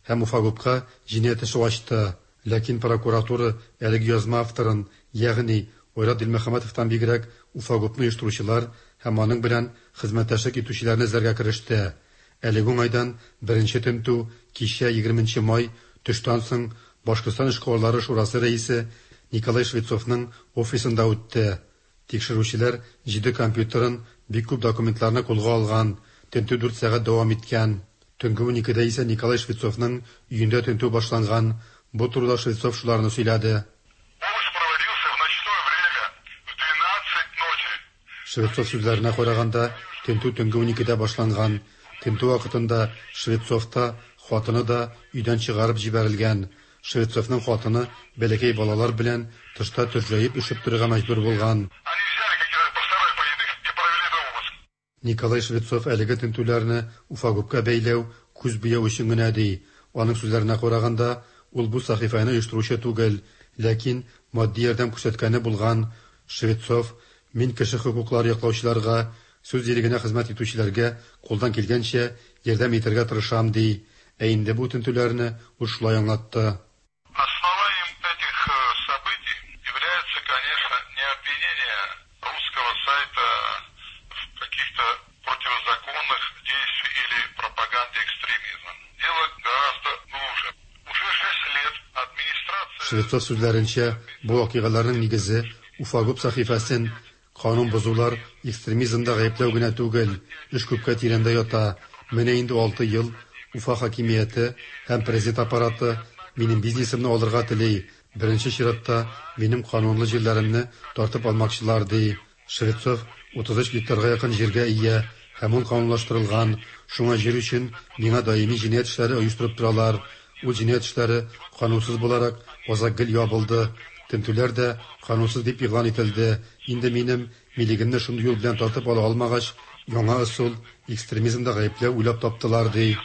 һәм Уфагупка җинаять эше ачты. Ләкин прокуратура әлеге язма авторын, ягъни Айрат Дилмөхәммәтовтан бигрәк Уфагупны оештыручылар һәм аның белән хезмәттәшлек итүчеләрне эзләргә кереште. Әлеге уңайдан беренче тентү кичә 20 нче май төштән соң Башкортстан эшкуарлары шурасы рәисе Николай Швецовның офисында үтте. Тикшерүчеләр җиде компьютерын, бик күп документларны кулга алган. Тентү дүрт сәгать дәвам иткән. Төнге уникедә исә Николай Швецовның өендә тентү башланган. Бу турыда Швецов шуларны сөйләде. Швецов сүзләренә караганда, тентү төнге уникедә башланган. Тентү вакытында Швецов та, хатыны да өйдән чыгарып җибәрелгән. Швецовның хатыны бәләкәй балалар белән тышта төрҗәеп өшеп торырга мәҗбүр булган. Николай Швецов әлеге тентүләрне Уфагупка бәйләү, күз буяу өчен генә ди. Аның сүзләренә караганда, ул бу сәхифәне оештыручы түгел, ләкин матди ярдәм күрсәткәне булган. Швецов, Мин кеше хокуклары яклаучыларга, сүз ирегенә хезмәт итүчеләргә кулдан килгәнчә ярдәм итәргә тырышам, ди. Ә инде бу тентүләрне ул шулай аңлатты. Основанием этих событий является, конечно, не обвинение русского сайта в каких-то противозаконных действий или пропаганде экстремизма. Дело гораздо глубже. Уже 6 лет администрация... Швецов сүзләренчә, бу вакыйгаларның нигезе Уфагуб сәхифәсен канун бозулар, экстремизмда гаепләү генә түгел, эш күпкә тирәндә ята. Менә инде алты ел Уфа хакимияте һәм президент аппараты минем бизнесымны алырга тели, беренче чиратта минем канунлы җирләремне тартып алмакчылар, ди. Швецов 33 гектарга якын җиргә ия һәм ул канунлаштырылган, шуңа җир өчен миңа даими җинаять эшләре оештырып торалар. Ул җинаять эшләре канунсыз буларак азак гел ябылды. Тентүләр дә канунсыз дип игълан ителде. Инде минем милегемне шундый юл белән тартып ала алмагач, яңа ысул, экстремизмда гаепләү уйлап таптылар, ди.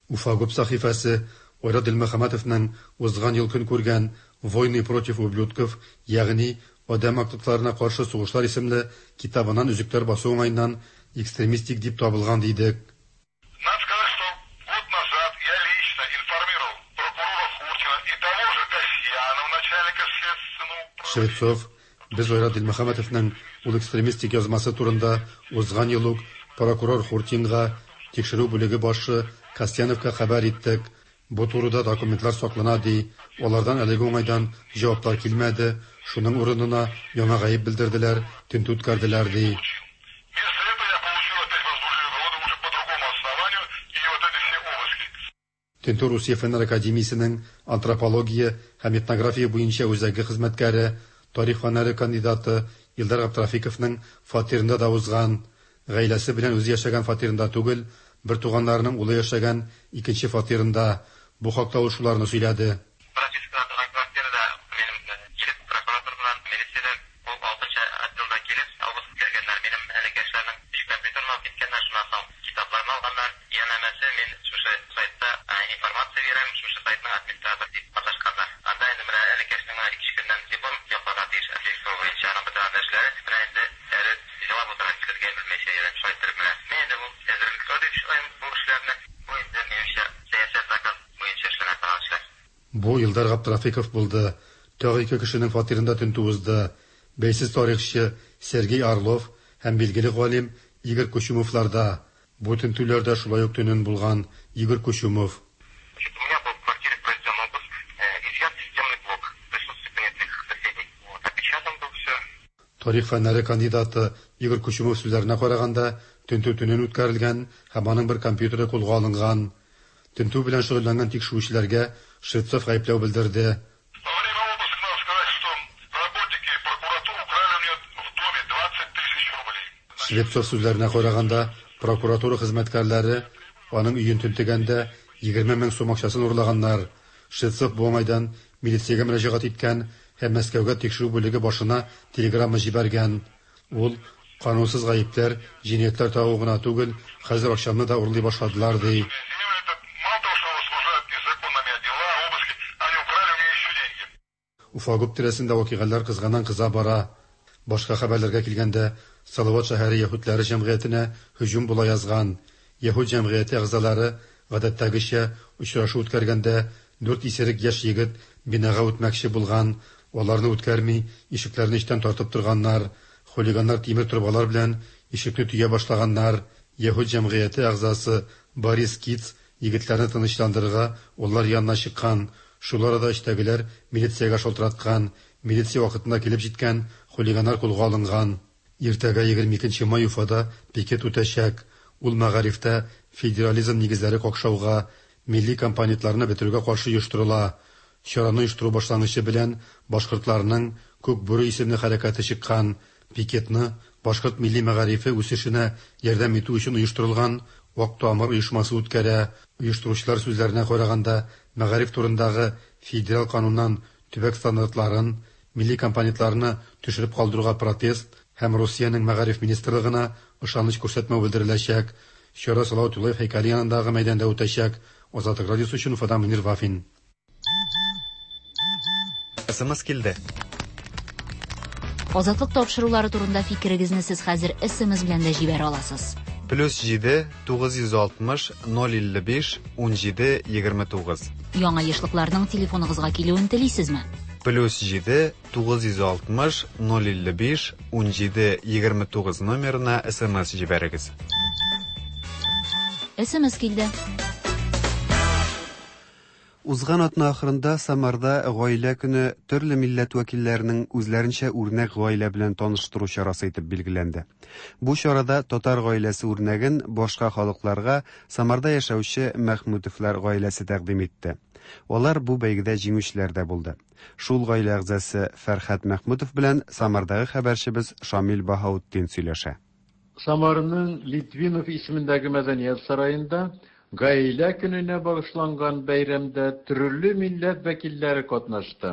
Уфагуб сәхифәсе Айрат Дилмөхәммәтовның узган ел көн күргән Войны против ублюдков, ягъни Адәм актыкларына каршы сугышлар исемле китабыннан өзекләр басу уңаеннан экстремистик дип табылган дидек. Надо сказать, что год назад я лично информировал прокурора Хуртина и того же Касьянова, начальника следственного Швецов, без Айрат Дилмөхәммәтовның ул экстремистик язмасы турында узган ел ук прокурор Хуртинга, тикшерү бүлеге башы Касьяновка хәбәр иттек. Бу турыда документлар саклана, ди. Алардан әлеге уңайдан җаваплар килмәде, шуның урынына яңа гаеп белдерделәр, тентү үткәрделәр, ди. Вместо этого я получил опять возбуждение уголовного уже по другому основанию и вот эти все обыски. Тентү Русия Фәннәр академиясенең антропология һәм этнография буенча үзәге хезмәткәре, тарих фәннәре кандидаты Илдар Габдрафиковның фатирында да узган. Гаиләсе белән үзе яшәгән фатирында түгел, бертуганнарының улы яшәгән икенче фатирында. Бу хакта ул шуларны сөйләде. Пропискада торган квартирада минем килеп, прокуратура белән милициядән ул алтынчы отделда килеп, обыск үткәргәннәр. Минем энекәшләрнең өч компьютерын алып киткәннәр, шуннан соң китапларны алганнар. Янәмәсе, мин шушы сайтта информация бирәм, шушы сайтның администраторы дип маташканнар. Анда инде менә энекәшнең менә ике көннән диплом якларга тиеш архитектура буенча, аның бөтен анда эшләре. Менә инде әле җылап утыра, нишләргә белмәйчә йөрәм. Шулай иттереп менә. Мин инде бу әзерлекләр дип уйлыйм бу эшләрне. Бу инде минемчә сәясәт заказ буенча эшләнә торган эшләр. Бу Илдар Габдрафиков булды. Тагы ике кешенең фатирында тентү узды. Бәйсез тарихчы Сергей Орлов һәм билгеле галим Игорь Кучумовларда. Бу тентүләр дә шулай ук төнен булган. Игорь Кучумов. Значит, у меня был в квартире произведен обыск, изъят системный блок в присутствии понятых соседей. Вот, опечатан был все. Тарих фәннәре кандидаты Игорь Кучумов сүзләренә караганда, тентү төнен үткәрелгән һәм аның бер компьютеры кулга алынган. Тентү белән шөгыльләнгән тикшерүчеләргә Швецов гаепләү белдерде. Во время обыска надо сказать, что работники прокуратуры украли у меня в доме 20 тысяч рублей. Швецов сүзләренә караганда, прокуратура хезмәткәрләре аның өен тентегәндә 20 мең сум акчасын урлаганнар. Швецов бу уңайдан милициягә мөрәҗәгать иткән һәм Мәскәүгә тикшерү бүлеге башына телеграмма җибәргән. Ул канунсыз гаепләр, җинаятьләр тагу гына түгел, хәзер акчамны да урлый башладылар, ди. Землю это мало того, что возбуждают незаконно Уфагуб тирәсендә вакыйгалар кызганнан-кыза бара. Башка хәбәрләргә килгәндә, Салават шәһәре яһүдләре җәмгыятенә һөҗүм була язган. Яһүд җәмгыяте әгъзалары, гадәттәгечә, очрашу үткәргәндә, дүрт исерек яшь егет бинага үтмәкче булган. Аларны үткәрми, ишекләрне эчтән тартып торганнар. Хулиганнар тимер торбалар белән ишекне төя башлаганнар. Яһүд җәмгыяте әгъзасы Борис Киц егетләрне тынычландырырга алар янына чыккан. Шул арада эчтәгеләр милициягә шалтыраткан. Милиция вакытында килеп җиткән, хулиганнар кулга алынган. Иртәгә 22 нче май Уфада пикет үтәчәк. Ул мәгарифтә федерализм нигезләре какшауга, милли компонентларны бетерүгә каршы оештырыла. Чараны оештыру башлангычы белән башкортларның Күк бүре исемле хәрәкәте чыккан. Пикетны башкорт милли мәгарифе үсешенә ярдәм итү өчен оештырылган Ак тамыр оешмасы үткәрә. Оештыручылар сүзләренә караганда, мәгариф турындагы федераль кануннан төбәк стандартларын, милли компонентларны төшереп калдыруга протест һәм Русиянең мәгариф министрлыгына ышаныч күрсәтмәү белдереләчәк. Чара Салават Юлаев һәйкәле янындагы мәйданда үтәчәк. Азатлык радиосы өчен Уфадан Мөнир Вафин. СМС килде. Азатлык тапшырулары турында фикерегезне сез хәзер СМС белән дә җибәрә аласыз. Плюс 7 960 055 17 29. Яңа ешлыкларның телефоныгызга килүен телисезме? Плюс 7 960 055 17 29 номерына СМС җибәрегез. СМС килде. Узган атна ахырында Самарда Гаилә көне төрле милләт вәкилләренең үзләренчә үрнәк гаилә белән таныштыру чарасы итеп билгеләнде. Бу чарада татар гаиләсе үрнәген башка халыкларга Самарда яшәүче Мәхмүтовлар гаиләсе тәкъдим итте. Алар бу бәйгедә җиңүчеләр дә булды. Шул гаилә әгъзасы Фәрхәт Мәхмүтов белән Самардагы хәбәрчебез Шамил Баһаутдин сөйләшә. Самарның Литвинов исемендәге мәдәният сараенда Гаилә көненә багышланган бәйрәмдә төрле милләт вәкилләре катнашты.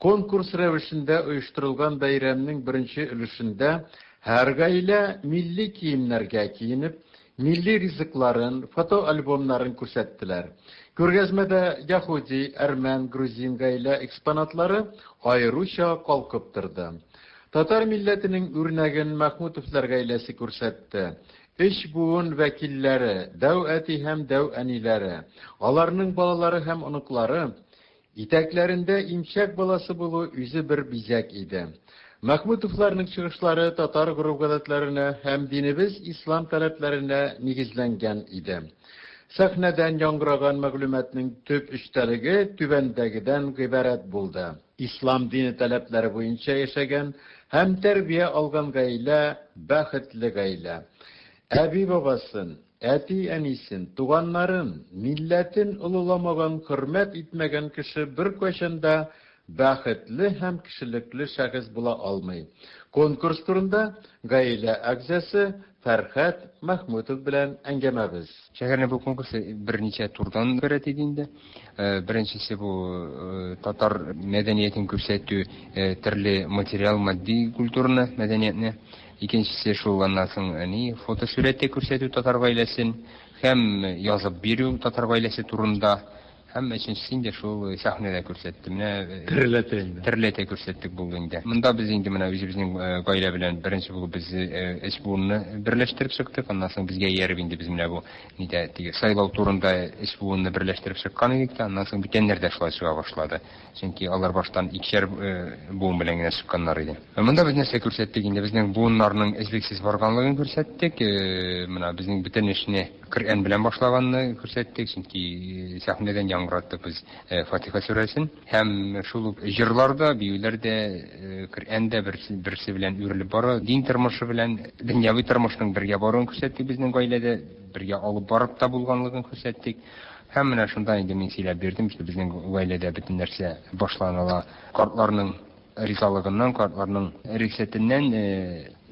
Конкурс рәвешендә оештырылган бәйрәмнең беренче өлешендә һәр гаилә милли киемнәргә киенеп, милли ризыкларын, фотоальбомнарын күрсәттеләр. Күргәзмәдә яһүди, әрмән, грузин гаилә экспонатлары аеруча калкып торды. Татар милләтенең үрнәген Мәхмүтовлар гаиләсе күрсәтте. Өч буын вәкилләре, дәү әти һәм дәү әниләре, аларның балалары һәм оныклары, итәкләрендә имчәк баласы булу үзе бер бизәк иде. Мәхмүтовларның чыгышлары татар гореф-гадәтләренә һәм динебез ислам таләпләренә нигезләнгән иде. Сәхнәдән яңгыраган мәгълүматның төп эчтәлеге түбәндәгедән гыйбарәт булды. Ислам дине таләпләре буенча яшәгән һәм тәрбия алган гаилә, бәхетле гаилә. Әби-бабасын, әти-әнисен, туганнарын, милләтен олыламаган, хөрмәт итмәгән кеше беркайчан да бәхетле һәм кешелекле шәхес була алмый. Конкурс турында гаилә әгъзасы Фәрхәт Мәхмүтов белән әңгәмәбез. Шәһәрнең бу конкурсы берничә турдан гыйбарәт иде инде. Беренчесе бу татар мәдәниятен күрсәтү, төрле материал, матди культураны, мәдәниятне. Икенчесе шул аннан соң ни фотосурәттә күрсәтү татар гаиләсен һәм язып бирү татар гаиләсе турында. Һәм өченчесе инде шул сәхнәдә күрсәтте. Менә Тереләтә инде. Тереләтә күрсәттек булды инде. Монда без инде менә үзебезнең гаилә белән беренче булып без өч буынны берләштереп чыктык. Аннан соң безгә ияреп инде без менә бу нидә теге сайлау турында өч буынны берләштереп чыккан идек тә, аннан соң бүтәннәр дә шулай чыга башлады. Чөнки алар баштан икешәр буын белән генә чыкканнар иде. Монда без нәрсә күрсәттек инде? Безнең буыннарның өзлексез барганлыгын күрсәттек. Менә безнең бөтен эшне Коръән белән башлаганны күрсәттек, чөнки сәхнәдән яңгыраттык без Фатиха сүрәсен. Һәм шул ук җырлар да, биюләр дә, Коръән дә берсе, берсе белән үрелеп бара. Дин тормышы белән дөньяви тормышның бергә баруын күрсәттек безнең гаиләдә, бергә алып барып та булганлыгын күрсәттек. Һәм менә шунда инде мин сөйләп бирдем, что безнең гаиләдә бөтен нәрсә башланыла картларның ризалыгыннан, картларның рөхсәтеннән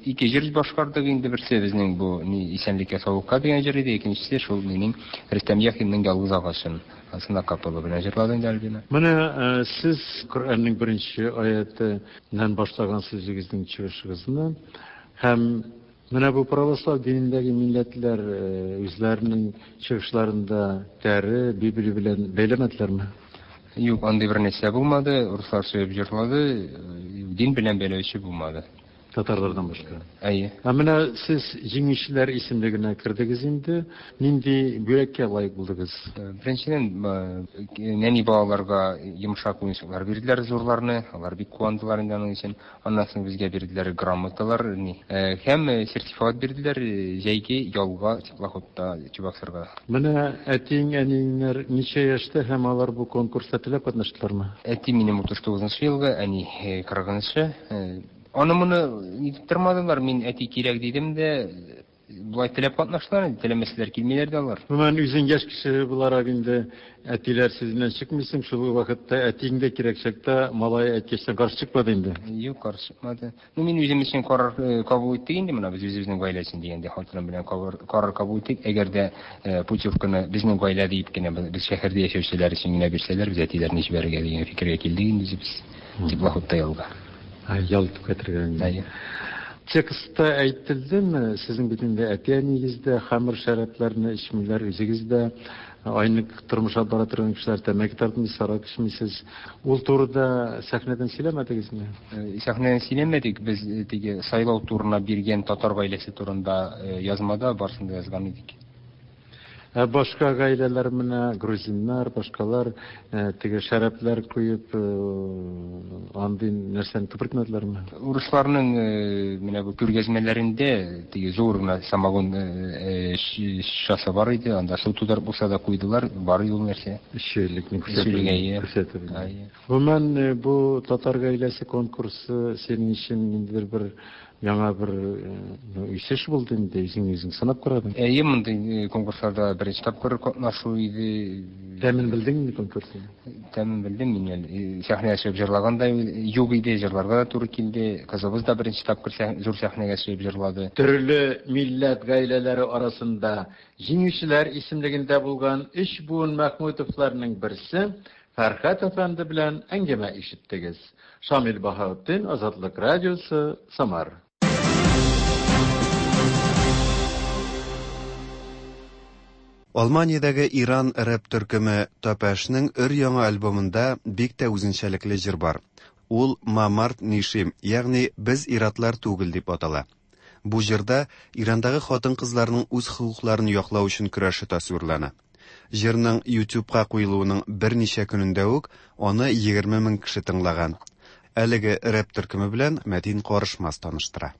ике җыр башкардык инде. Берсе безнең бу ни исәнлеккә саулыкка дигән җыр иде, икенчесе шул минем Рөстәм Яхинның Ялгыз агачым. Анысын акапелла белән җырлады инде Альбина. Менә сез Коръәннең беренче аятеннән башлаган сүзегезнең чыгышыгызны һәм менә бу православ динендәге милләтләр үзләренең чыгышларында тәре, Библия белән бәйләмәделәрме? Юк, андый бер нәрсә булмады. Руслар сөеп җырлады, дин белән бәйләүче булмады. Татарлардан башка. Әйе. Ә менә сез җиңүчеләр исемлегенә кердегез инде. Нинди бүләккә лаек булдыгыз? Беренчедән, нәни балаларга йомшак уенчыклар бирделәр, зурларны. Алар бик куандылар инде аның өчен. Аннан соң безгә бирделәр грамоталар, ни, һәм сертификат бирделәр җәйге ялга теплоходта Чебоксарга. Менә әтиең, әниеңнәр ничә яшьтә һәм алар бу конкурста теләп катнаштылармы? Әти минем 39 нчы елгы, әни 40 нчы. Аны-моны нитеп тормадылар, мин әти кирәк дидем дә, болай теләп катнаштылар инде, теләмәсәләр килмиләр дә алар. Гомумән, үзең яшь кеше буларак инде әтиләр сүзеннән чыкмыйсың, шул ук вакытта әтиең дә кирәк чакта малай әйткәчтән каршы чыкмады инде. Юк, каршы чыкмады. Ну, мин үзем өчен карар кабул иттек инде, менә без үзебезнең гаилә өчен дигәндә, хатыным белән карар кабул иттек. Әгәр дә путевканы безнең гаилә диеп кенә, без шәһәрдә яшәүчеләр өчен генә бирсәләр, без әтиләрне җибәрергә дигән фикергә килдек инде үзебез. Теплоходта ялга. Ял итеп кайтырга инде. Әйе. Текстта әйтелдеме, сезнең бит инде әти-әниегез дә хәмер шәрабләрне эчмиләр, үзегез дә айнык тормыш алып бара торган кешеләр, тәмәке тартмыйсыз, аракы эчмисез. Ул турыда сәхнәдән сөйләмәдегезме? Сәхнәдән сөйләмәдек, без теге сайлау турына биргән татар гаиләсе турында язмада барысын да язган идек. Ә башка гаиләләр менә грузиннар, башкалар теге шәрабләр куеп, андый нәрсәне күпертмәделәрме? Урысларның менә бу күргәзмәләрендә теге зур гына самогон шешәсе бар иде, анда су тутырып булса да куйдылар, бар иде ул нәрсә. Эчүлекне күрсәтеп. Гомумән, бу татар гаиләсе конкурсы синең өчен ниндидер бер Яңа бер үсеш булды инде, үзең үзең сынап карадың. Әйе, мондый конкурсларда беренче тапкыр катнашу иде. Тәмен белдең инде конкурсның? Тәмен белдем мин әле. Сәхнәгә чыгып җырлаган да юк иде, җырларга да туры килде. Кызыбыз да беренче тапкыр зур сәхнәгә чыгып җырлады. Төрле милләт гаиләләре арасында җиңүчеләр исемлегендә булган өч буын Мәхмүтовларның берсе Фәрхәт әфәнде белән әңгәмә ишеттегез. Шамил Баһаутдин, Азатлык радиосы, Самар. Алманиядәге Иран рэп төркеме Тапәшнең өр-яңа альбомында бик тә үзенчәлекле җыр бар. Ул Ма Мард Нишим, ягъни Без ир-атлар түгел дип атала. Бу җырда Ирандагы хатын-кызларның үз хокукларын яклау өчен көрәше тасвирлана. Җырның YouTube-ка куелуының берничә көнендә үк аны 20 мең кеше тыңлаган. Әлеге рэп төркеме белән Мәтин Карышмас таныштыра.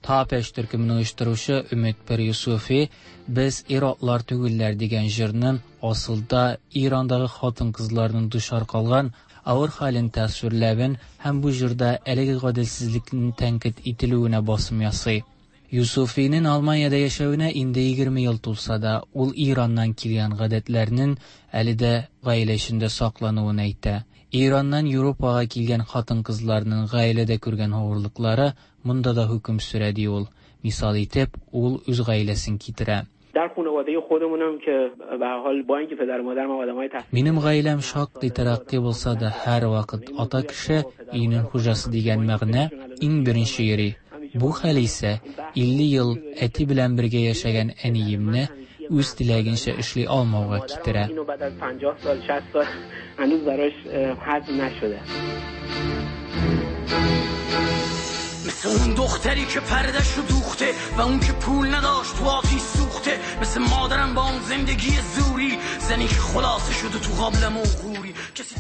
Тапеш төркемен оештыручы Өмет Пер Юсуфи Без ир-атлар түгелләр дигән җырның асылда Ирандагы хатын-кызларның дучар калган авыр хәлен тасвирләвен һәм бу җырда әлеге гаделсезлекнең тәнкыйть ителүенә басым ясый. Юсуфинең Алманиядә яшәвенә инде 20 ел тулса да, ул Ираннан килгән гадәтләрнең әле дә гаилә эчендә саклануын әйтә. Ираннан Европага килгән хатын-кызларның гаиләдә күргән авырлыклары монда да хөкем сөрә, ди ул. Мисал итеп, ул үз гаиләсен китерә. Минем гаиләм шактый тәрәкъкый булса да, һәрвакыт ата кеше, өйнең хуҗасы дигән мәгънә иң беренче йөри. Бу хәл исә 50 ел әти белән бергә яшәгән әниемне үз теләгенчә эшли алмауга китерә.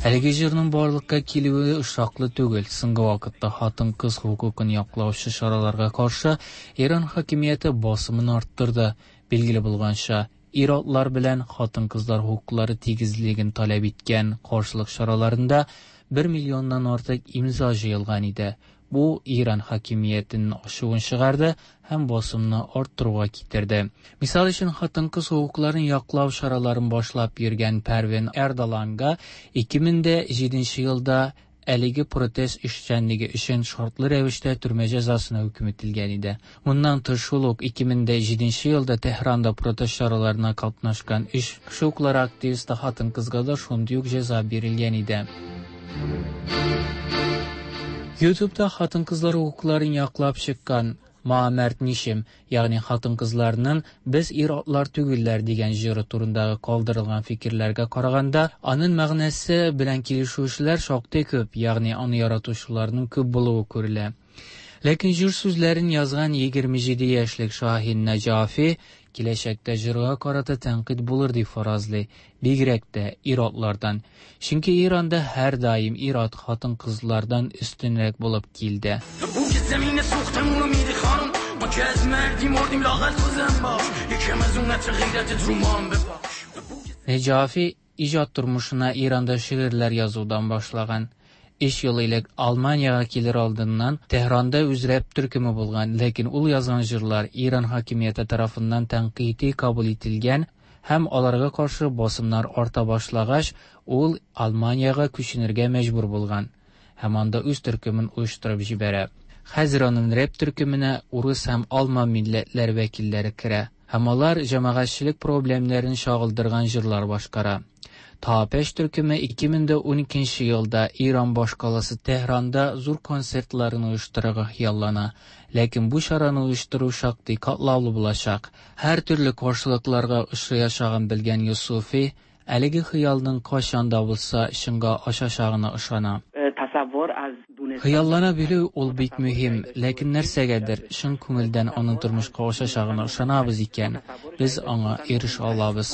Әлеге җырның барлыкка килүе очраклы түгел. Соңгы вакытта хатын-кыз хокукын яклаучы чараларга каршы Иран хакимияте басымын арттырды. Билгеле булганча, ир-атлар белән хатын-кызлар хокуклары тигезлеген таләп иткән каршылык чараларында бер миллионнан артык имза җыелган иде. Бу Иран хакимиятенең ачуын чыгарды һәм басымны арттыруга китерде. Мисал өчен, хатын-кыз хокукларын яклау чараларын башлап йөргән Пәрвин Эрдаланга 2007 елда әлеге протест эшчәнлеге өчен шартлы рәвештә төрмә җәзасына хөкем ителгән иде. Моннан тыш, шул ук 2007 елда Тәһранда протест чараларына катнашкан өч хокуклары активисты хатын-кызга да шундый ук җәза бирелгән иде. YouTube'да хатын-кызлар хокукларын яклап чыккан Ма мәрт нишем, ягъни хатын-кызларның Без ир-атлар түгелләр дигән җыры турындагы калдырылган фикерләргә караганда, аның мәгънәсе белән килешүчеләр шактый күп, ягъни аны яратучыларның күп булуы күрелә. Ләкин җыр сүзләрен язган 27 яшьлек Шаһин Нәҗафи киләчәктә җырга карата тәнкыйть булыр дип фаразлый, бигрәк тә ир-атлардан. Чөнки Иранда һәрдаим ир-ат хатын-кызлардан өстенрәк булып килде. Нәҗафи иҗат тормышына Иранда шигырьләр язудан башлаган. Өч ел элек Алманиягә килер алдыннан Тәһранда үз рэп төркеме булган, ләкин ул язган җырлар Иран хакимияте тарафыннан тәнкыйти кабул ителгән һәм аларга каршы басымнар арта башлагач, ул Алманиягә күченергә мәҗбүр булган һәм анда үз төркемен оештырып җибәрә. Хәзер аның рэп төркеменә урыс һәм алман милләтләр вәкилләре керә һәм алар җәмәгатьчелек проблемнәрен чагылдырган җырлар башкара. Тапеш төркеме 2012 елда Иран башкаласы Тәһранда зур концертларын оештырырга хыяллана. Ләкин бу чараны оештыру шактый катлаулы булачак. Һәртөрле каршылыкларга очраячагын белгән Йосыфи әлеге хыялның кайчан да булса чынга ашачагына ышана. Хыяллана белү ул бик мөһим, ләкин нәрсәгәдер чын күңелдән аның тормышка ашачагына ышанабыз икән, без аңа ирешә алабыз.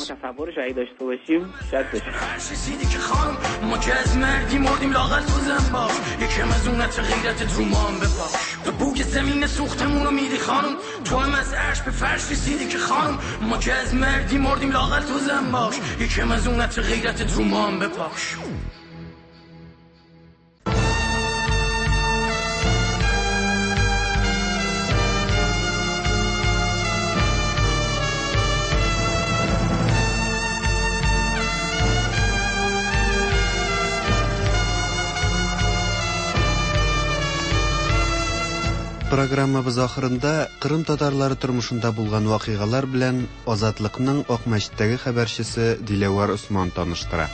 Программабыз ахырында Кырым татарлары тормышында булган вакыйгалар белән Азатлыкның Акмәчеттәге хәбәрчесе Диләвәр Осман таныштыра.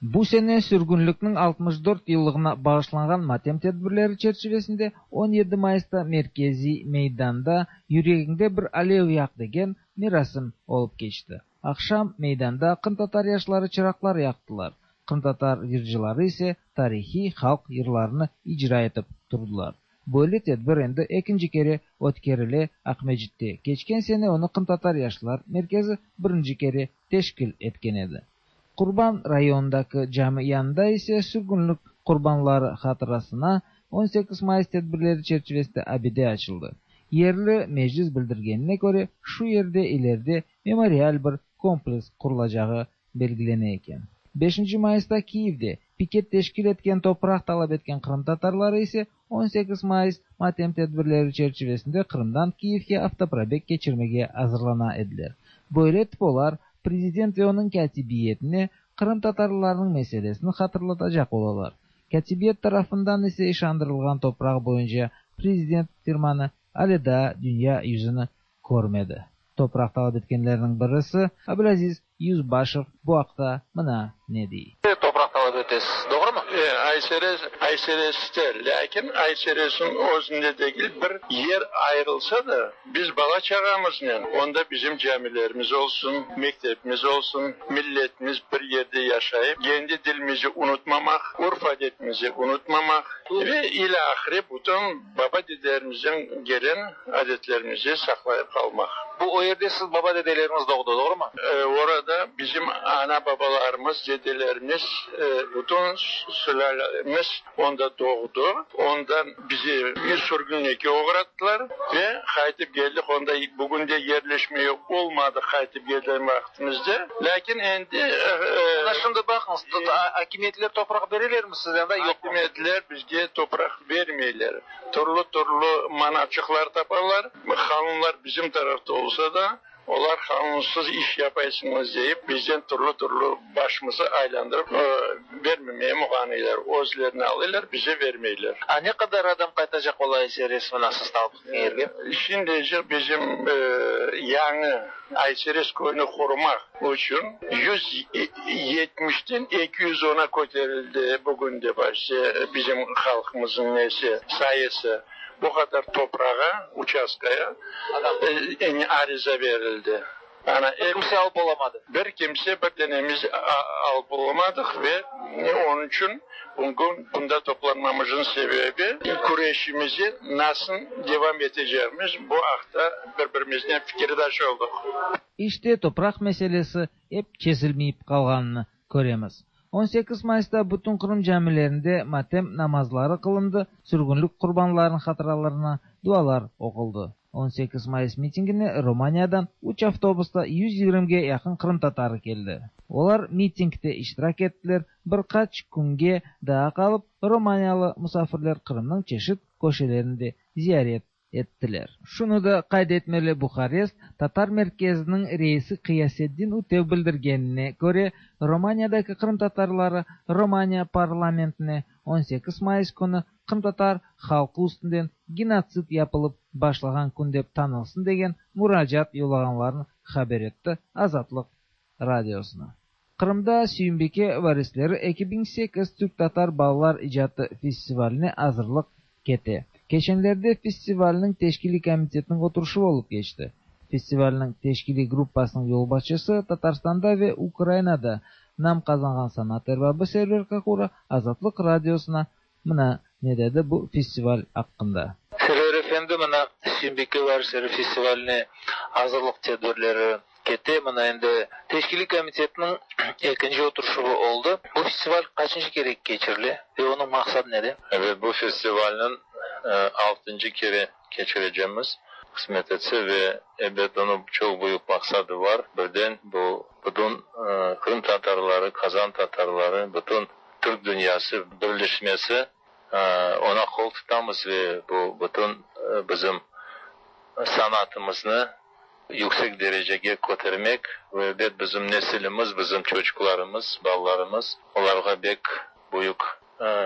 Bu sene sürgünlikniñ 64 yıllığına bağışlanğan matem tedbirleri çerçivesinde 17 Mayısta merkeziy meydanda Yüregiñde bir alev yaq degen merasim olıp keçti. Aqşam meydanda qırımtatar yaşları çıraqlar yaqtılar, qırımtatar yırcıları ise tarihiy halq yırlarını icra etip turdılar. Böyle tedbir endi ekinci kere ötkerile Aqmescitte. Keçken sene onı Qırımtatar yaşlar merkezi birinci kere teşkil etken edi. Qurban rayonındaki cami yanında ise sürgünlik qurbanları hatırasına 18 mayıs tedbirleri çerçivesinde abide açıldı. Yerli meclis bildirgenine köre, şu yerde ileride memorial bir kompleks qurulacağı belgilene eken. Beşinci mayısta Kiyevde piket teşkil etken topraq talap etken qırımtatarları ise 18 mayıs matem tedbirleri çerçivesinde Qırımdan Kiyevge avtoprobeg keçirmege azırlana ediler. Böyle etip olar prezident ve onıñ kâtibiyetine qırımtatarlarnıñ meselesini hatırlatacaq olalar. Kâtibiyet tarafından ise işandırılğan topraq boyunca prezident firmanı ale daa dünya yüzüni körmedi. Topraq talap etkenlerniñ birisi Abülaziz Yüzbaşev bu aqta mına ne dey. Topraq talap etesiz, doğrumı? Aysereste, lâkin Ayseresniñ özünde degil, bir yer ayırılsa da, biz bala-çağamıznen, onda bizim camilerimiz olsun, mektepimiz olsun, milletimiz bir yerde yaşayıp, kendi dilimizi unutmamaq, urf-adetimizi unutmamaq ve ilâhre bütün baba-dedelerimizden gelen adetlerimizi saqlayıp qalmaq. Bu o yerde siz baba-dedeleriñiz doğdı, doğrumı? Orada bizim ana-babalarımız, dedelerimiz, bütün sülâlemiz onda doğdı. Ondan bizi sürgünlikke oğrattılar ve qaytıp keldik. Onda bugün de yerleşmeye olmadı qaytıp kelgen vaqtımızda. Lâkin endi... Mına şimdi baqıñız, akimiyetler topraq berelermi sizge anda, yoqmı? Akimiyetler bizge topraq bermeyler. Türlü-türlü manaçıqlar tapalar. Qanunlar bizim tarafta olsa da. Olar qanunsız iş yapaysıñız deyip, bizden türlü-türlü başımızı aylandırıp, bermemeye muğanıylar. Özlerine alıylar, bize vermeyler. A ne qadar adam qaytacaq ola Ayserez mına siz talap etken yerge? Şimdice bizim yañı Ayserez köyüni qurmaq içün 170-ten 210-a köterildi bugün de bizim halqımıznıñ nesi, sayısı. Bu qadar toprağa, uçastkaya, ariza berildi. Ana, Bir kimse alıp olamadı. Bir kimse, bir denemiz alıp olamadıq ve onıñ içün bugün bunda toplanmamıznıñ sebebi, küreşimizi nasıl devam etecegimiz, bu aqta bir-birimiznen fikirdaş oldıq. İşte, topraq meselesi ep çezilmeyip qalğanını köremiz. 18 mayısta bütün Qırım camilerinde matem namazları qılındı, sürgünlik qurbanlarınıñ hatıralarına dualar oquldı. 18 mayıs mitingine Romaniyadan üç avtobusta 120-ge yaqın qırımtatarı keldi. Olar mitingde iştirak ettiler, bir qaç künge daa qalıp, romaniyalı musafirler Qırımnıñ çeşit köşelerini de ziyaret ettiler. Şunı da qayd etmeli, Buharest tatar merkeziniñ reisi Qıyaseddin Ütev bildirgenine köre, Romaniyadaki qırımtatarları Romaniya parlamentine 18 mayıs künü qırımtatar halqı üstünden genotsid yapılıp başlağan kün dep tanılsın degen muracaat yollağanlarını haber etti Azatlıq Radiosına. Qırımda Süyümbike varisleri 2008 türk-tatar balalar icatı festivaline azırlıq kete. Keçenlerde festivalniñ teşkiliy komitetiniñ oturışuvı olıp keçti. Festivalniñ teşkiliy gruppasınıñ yolbaşçısı, Tatarstanda ve Ukrainada nam qazanğan sanat erbabı Server Kakura Azatlıq Radiosına mına ne dedi bu festival aqqında. Server efendi, mına Süyümbike varisleri festivaline azırlıq tedbirleri kete. Mına endi teşkiliy komitetniñ ekinci oturışuvı oldı. Bu festival qaçıncı kere keçirile ve onıñ maqsadı nede? Ebet, bu festivalniñ altıncı kere keçirecemiz, qısmet etse, ve ebet, onıñ çoq büyük maqsadı bar. Birden, bu bütün qırımtatarları, qazan tatarları, bütün türk dünyası birleşmesi, oña qol tutamız ve bu bütün bizim sanatımıznı yüksek derecege kötermek ve ebet, bizim nesilimiz, bizim çocuqlarımız, balalarımız, olarğa bek büyük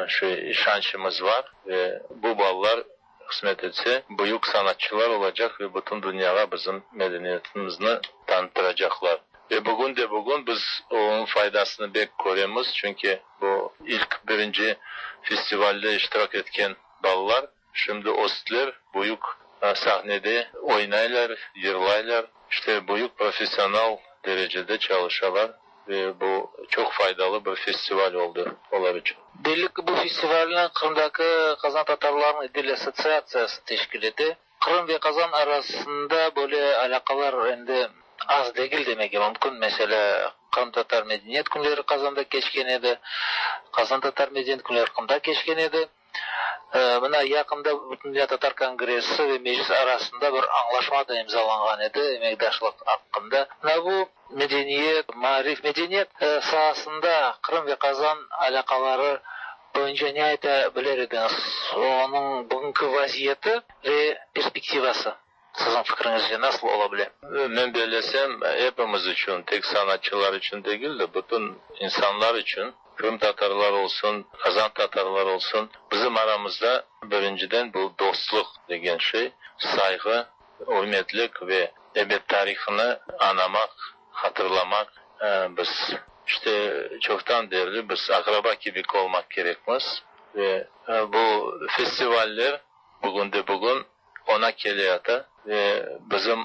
şey işançımız bar ve bu balalar, qısmet etse, büyük sanatçılar olacaq ve bütün dünyağa bizim medeniyetimizni tanıttıracaqlar. Ve bugün de bugün biz onıñ faydasını bek köremiz, çünki bu ilk birinci festivalde iştirak etken balalar şimdi östiler, büyük sahnede oynaylar, yırlaylar, işte büyük professional derecede çalışalar ve bu çoq faydalı bir festival oldı olar içün. Belli ki, bu festivalni Qırımdaki qazan tatarlarınıñ İdil assotsiatsiyası teşkil ete. Qırım ve Qazan arasında böyle alâqalar endi az degil demege mümkün. Meselâ, Qırımtatar medeniyet künleri Qazanda keçken edi, Qazantatar medeniyet künleri Qırımda keçken edi. Mına, yaqında Bütündünya tatar kongressi ve Meclis arasında bir añlaşma da imzalanğan edi emekdaşlıq aqqında. Mına bu medeniyet, maarif, medeniyet saasında Qırım ve Qazan alâqaları boyunca ne ayta biler ediñiz? Onıñ bugünki vaziyeti ve perspektivası, siziñ fikriñizce, nasıl ola bile? Men bellesem, epimiz içün, tek sanatçılar içün degil de, bütün insanlar içün, qırımtatarlar olsun, qazan tatarlar olsun, bizim aramızda birinciden bu dostluq degen şey, sayğı, ürmetlik ve, ebet, tarihını añamaq, hatırlamaq. Biz, işte, çoqtan berli biz aqraba kibi olmaq kerekmiz ve bu festivaller bugünde-bugün oña keleyata ve bizim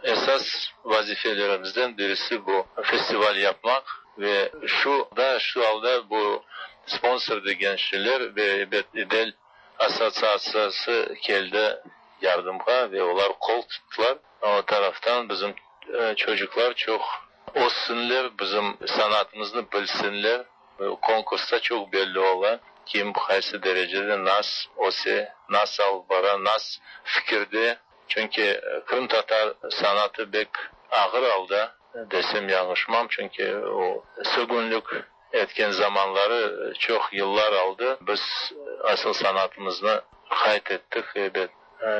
esas vazifelerimizden birisi bu festival yapmaq ve şu da, şu alda bu sponsor degen şeyler ve, ebet, İdel assotsiatsiyası keldi yardımğa ve olar qol tuttılar. O taraftan bizim çocuqlar çoq össünler, bizim sanatımıznı bilsinler. Konkursta çoq belli ola, kim qaysı derecede nas öse, nas alıp bara, nas fikirde. Çünki qırımtatar sanatı bek ağır alda, desem yañlışmam, çünki o sürgünlik etken zamanları çoq yıllar aldı. Biz asıl sanatımıznı qayd ettik, ebet.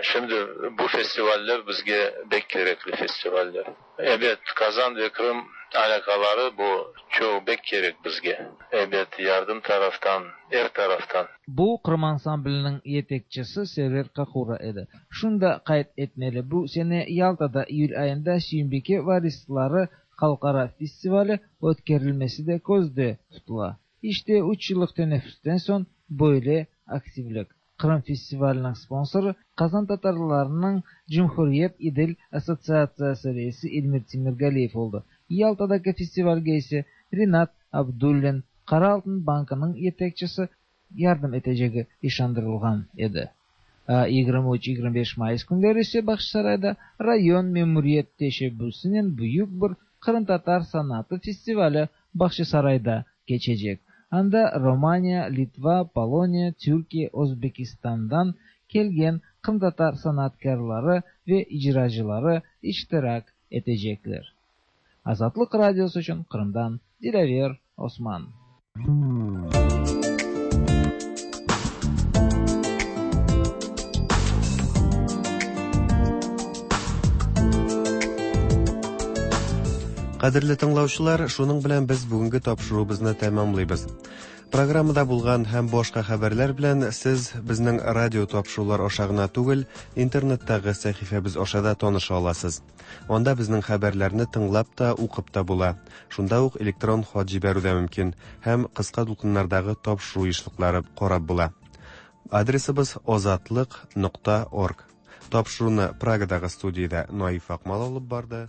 Şimdi bu festivaller bizge bek kerekli festivaller. Ebet, Qazan ve Qırım alâqaları bu çoq bek kerek bizge. Ebet, yardım taraftan, er taraftan. Bu Qırım ansambliniñ yetekçisi Server Kakura edi. Şunı da qayd etmeli, bu sene Yaltada iyül ayında Süyümbike varisları halqara festivali ötkerilmesi de közde tutula. İşte, üç yıllıq teneffüsten soñ böyle aktivlik. Qırım festivaliniñ sponsorı Qazan tatarlarınıñ Cumhuriyet İdil assotsiatsiyası reisi Elmir Temirgaliyev oldı. Yaltadaki festivalge ise Rinat Abdullin, Qara altın bankınıñ yetekçisi yardım etecegi işandırılğan edi. 23, 25 mayıs künleri ise Bağçasarayda rayon memuriyet teşebbüsinen büyük bir qırımtatar sanatı festivali Bağçasarayda keçecek. Anda Romaniya, Litva, Poloniya, Türkiye, Özbekistandan kelgen qırımtatar sanatkârları ve icracıları iştirak etecekler. Azatlıq Radiosı içün Qırımdan Dilâver Osman. Кадерле тыңлаучылар, шуның белән без бүгенге тапшыруыбызны тәмамлыйбыз. Программада булган һәм башка хәбәрләр белән сез безнең радио тапшырулар аша гына түгел, интернеттагы сәхифәбез аша да таныша аласыз. Анда безнең хәбәрләрне тыңлап та, укып та була. Шунда ук электрон хат җибәрү дә мөмкин һәм кыска дулкыннардагы тапшыру ешлыклары карап була. Адресыбыз озатлык нокта орг. Тапшыруны Прагадагы студиядә Наиф Акмал алып барды.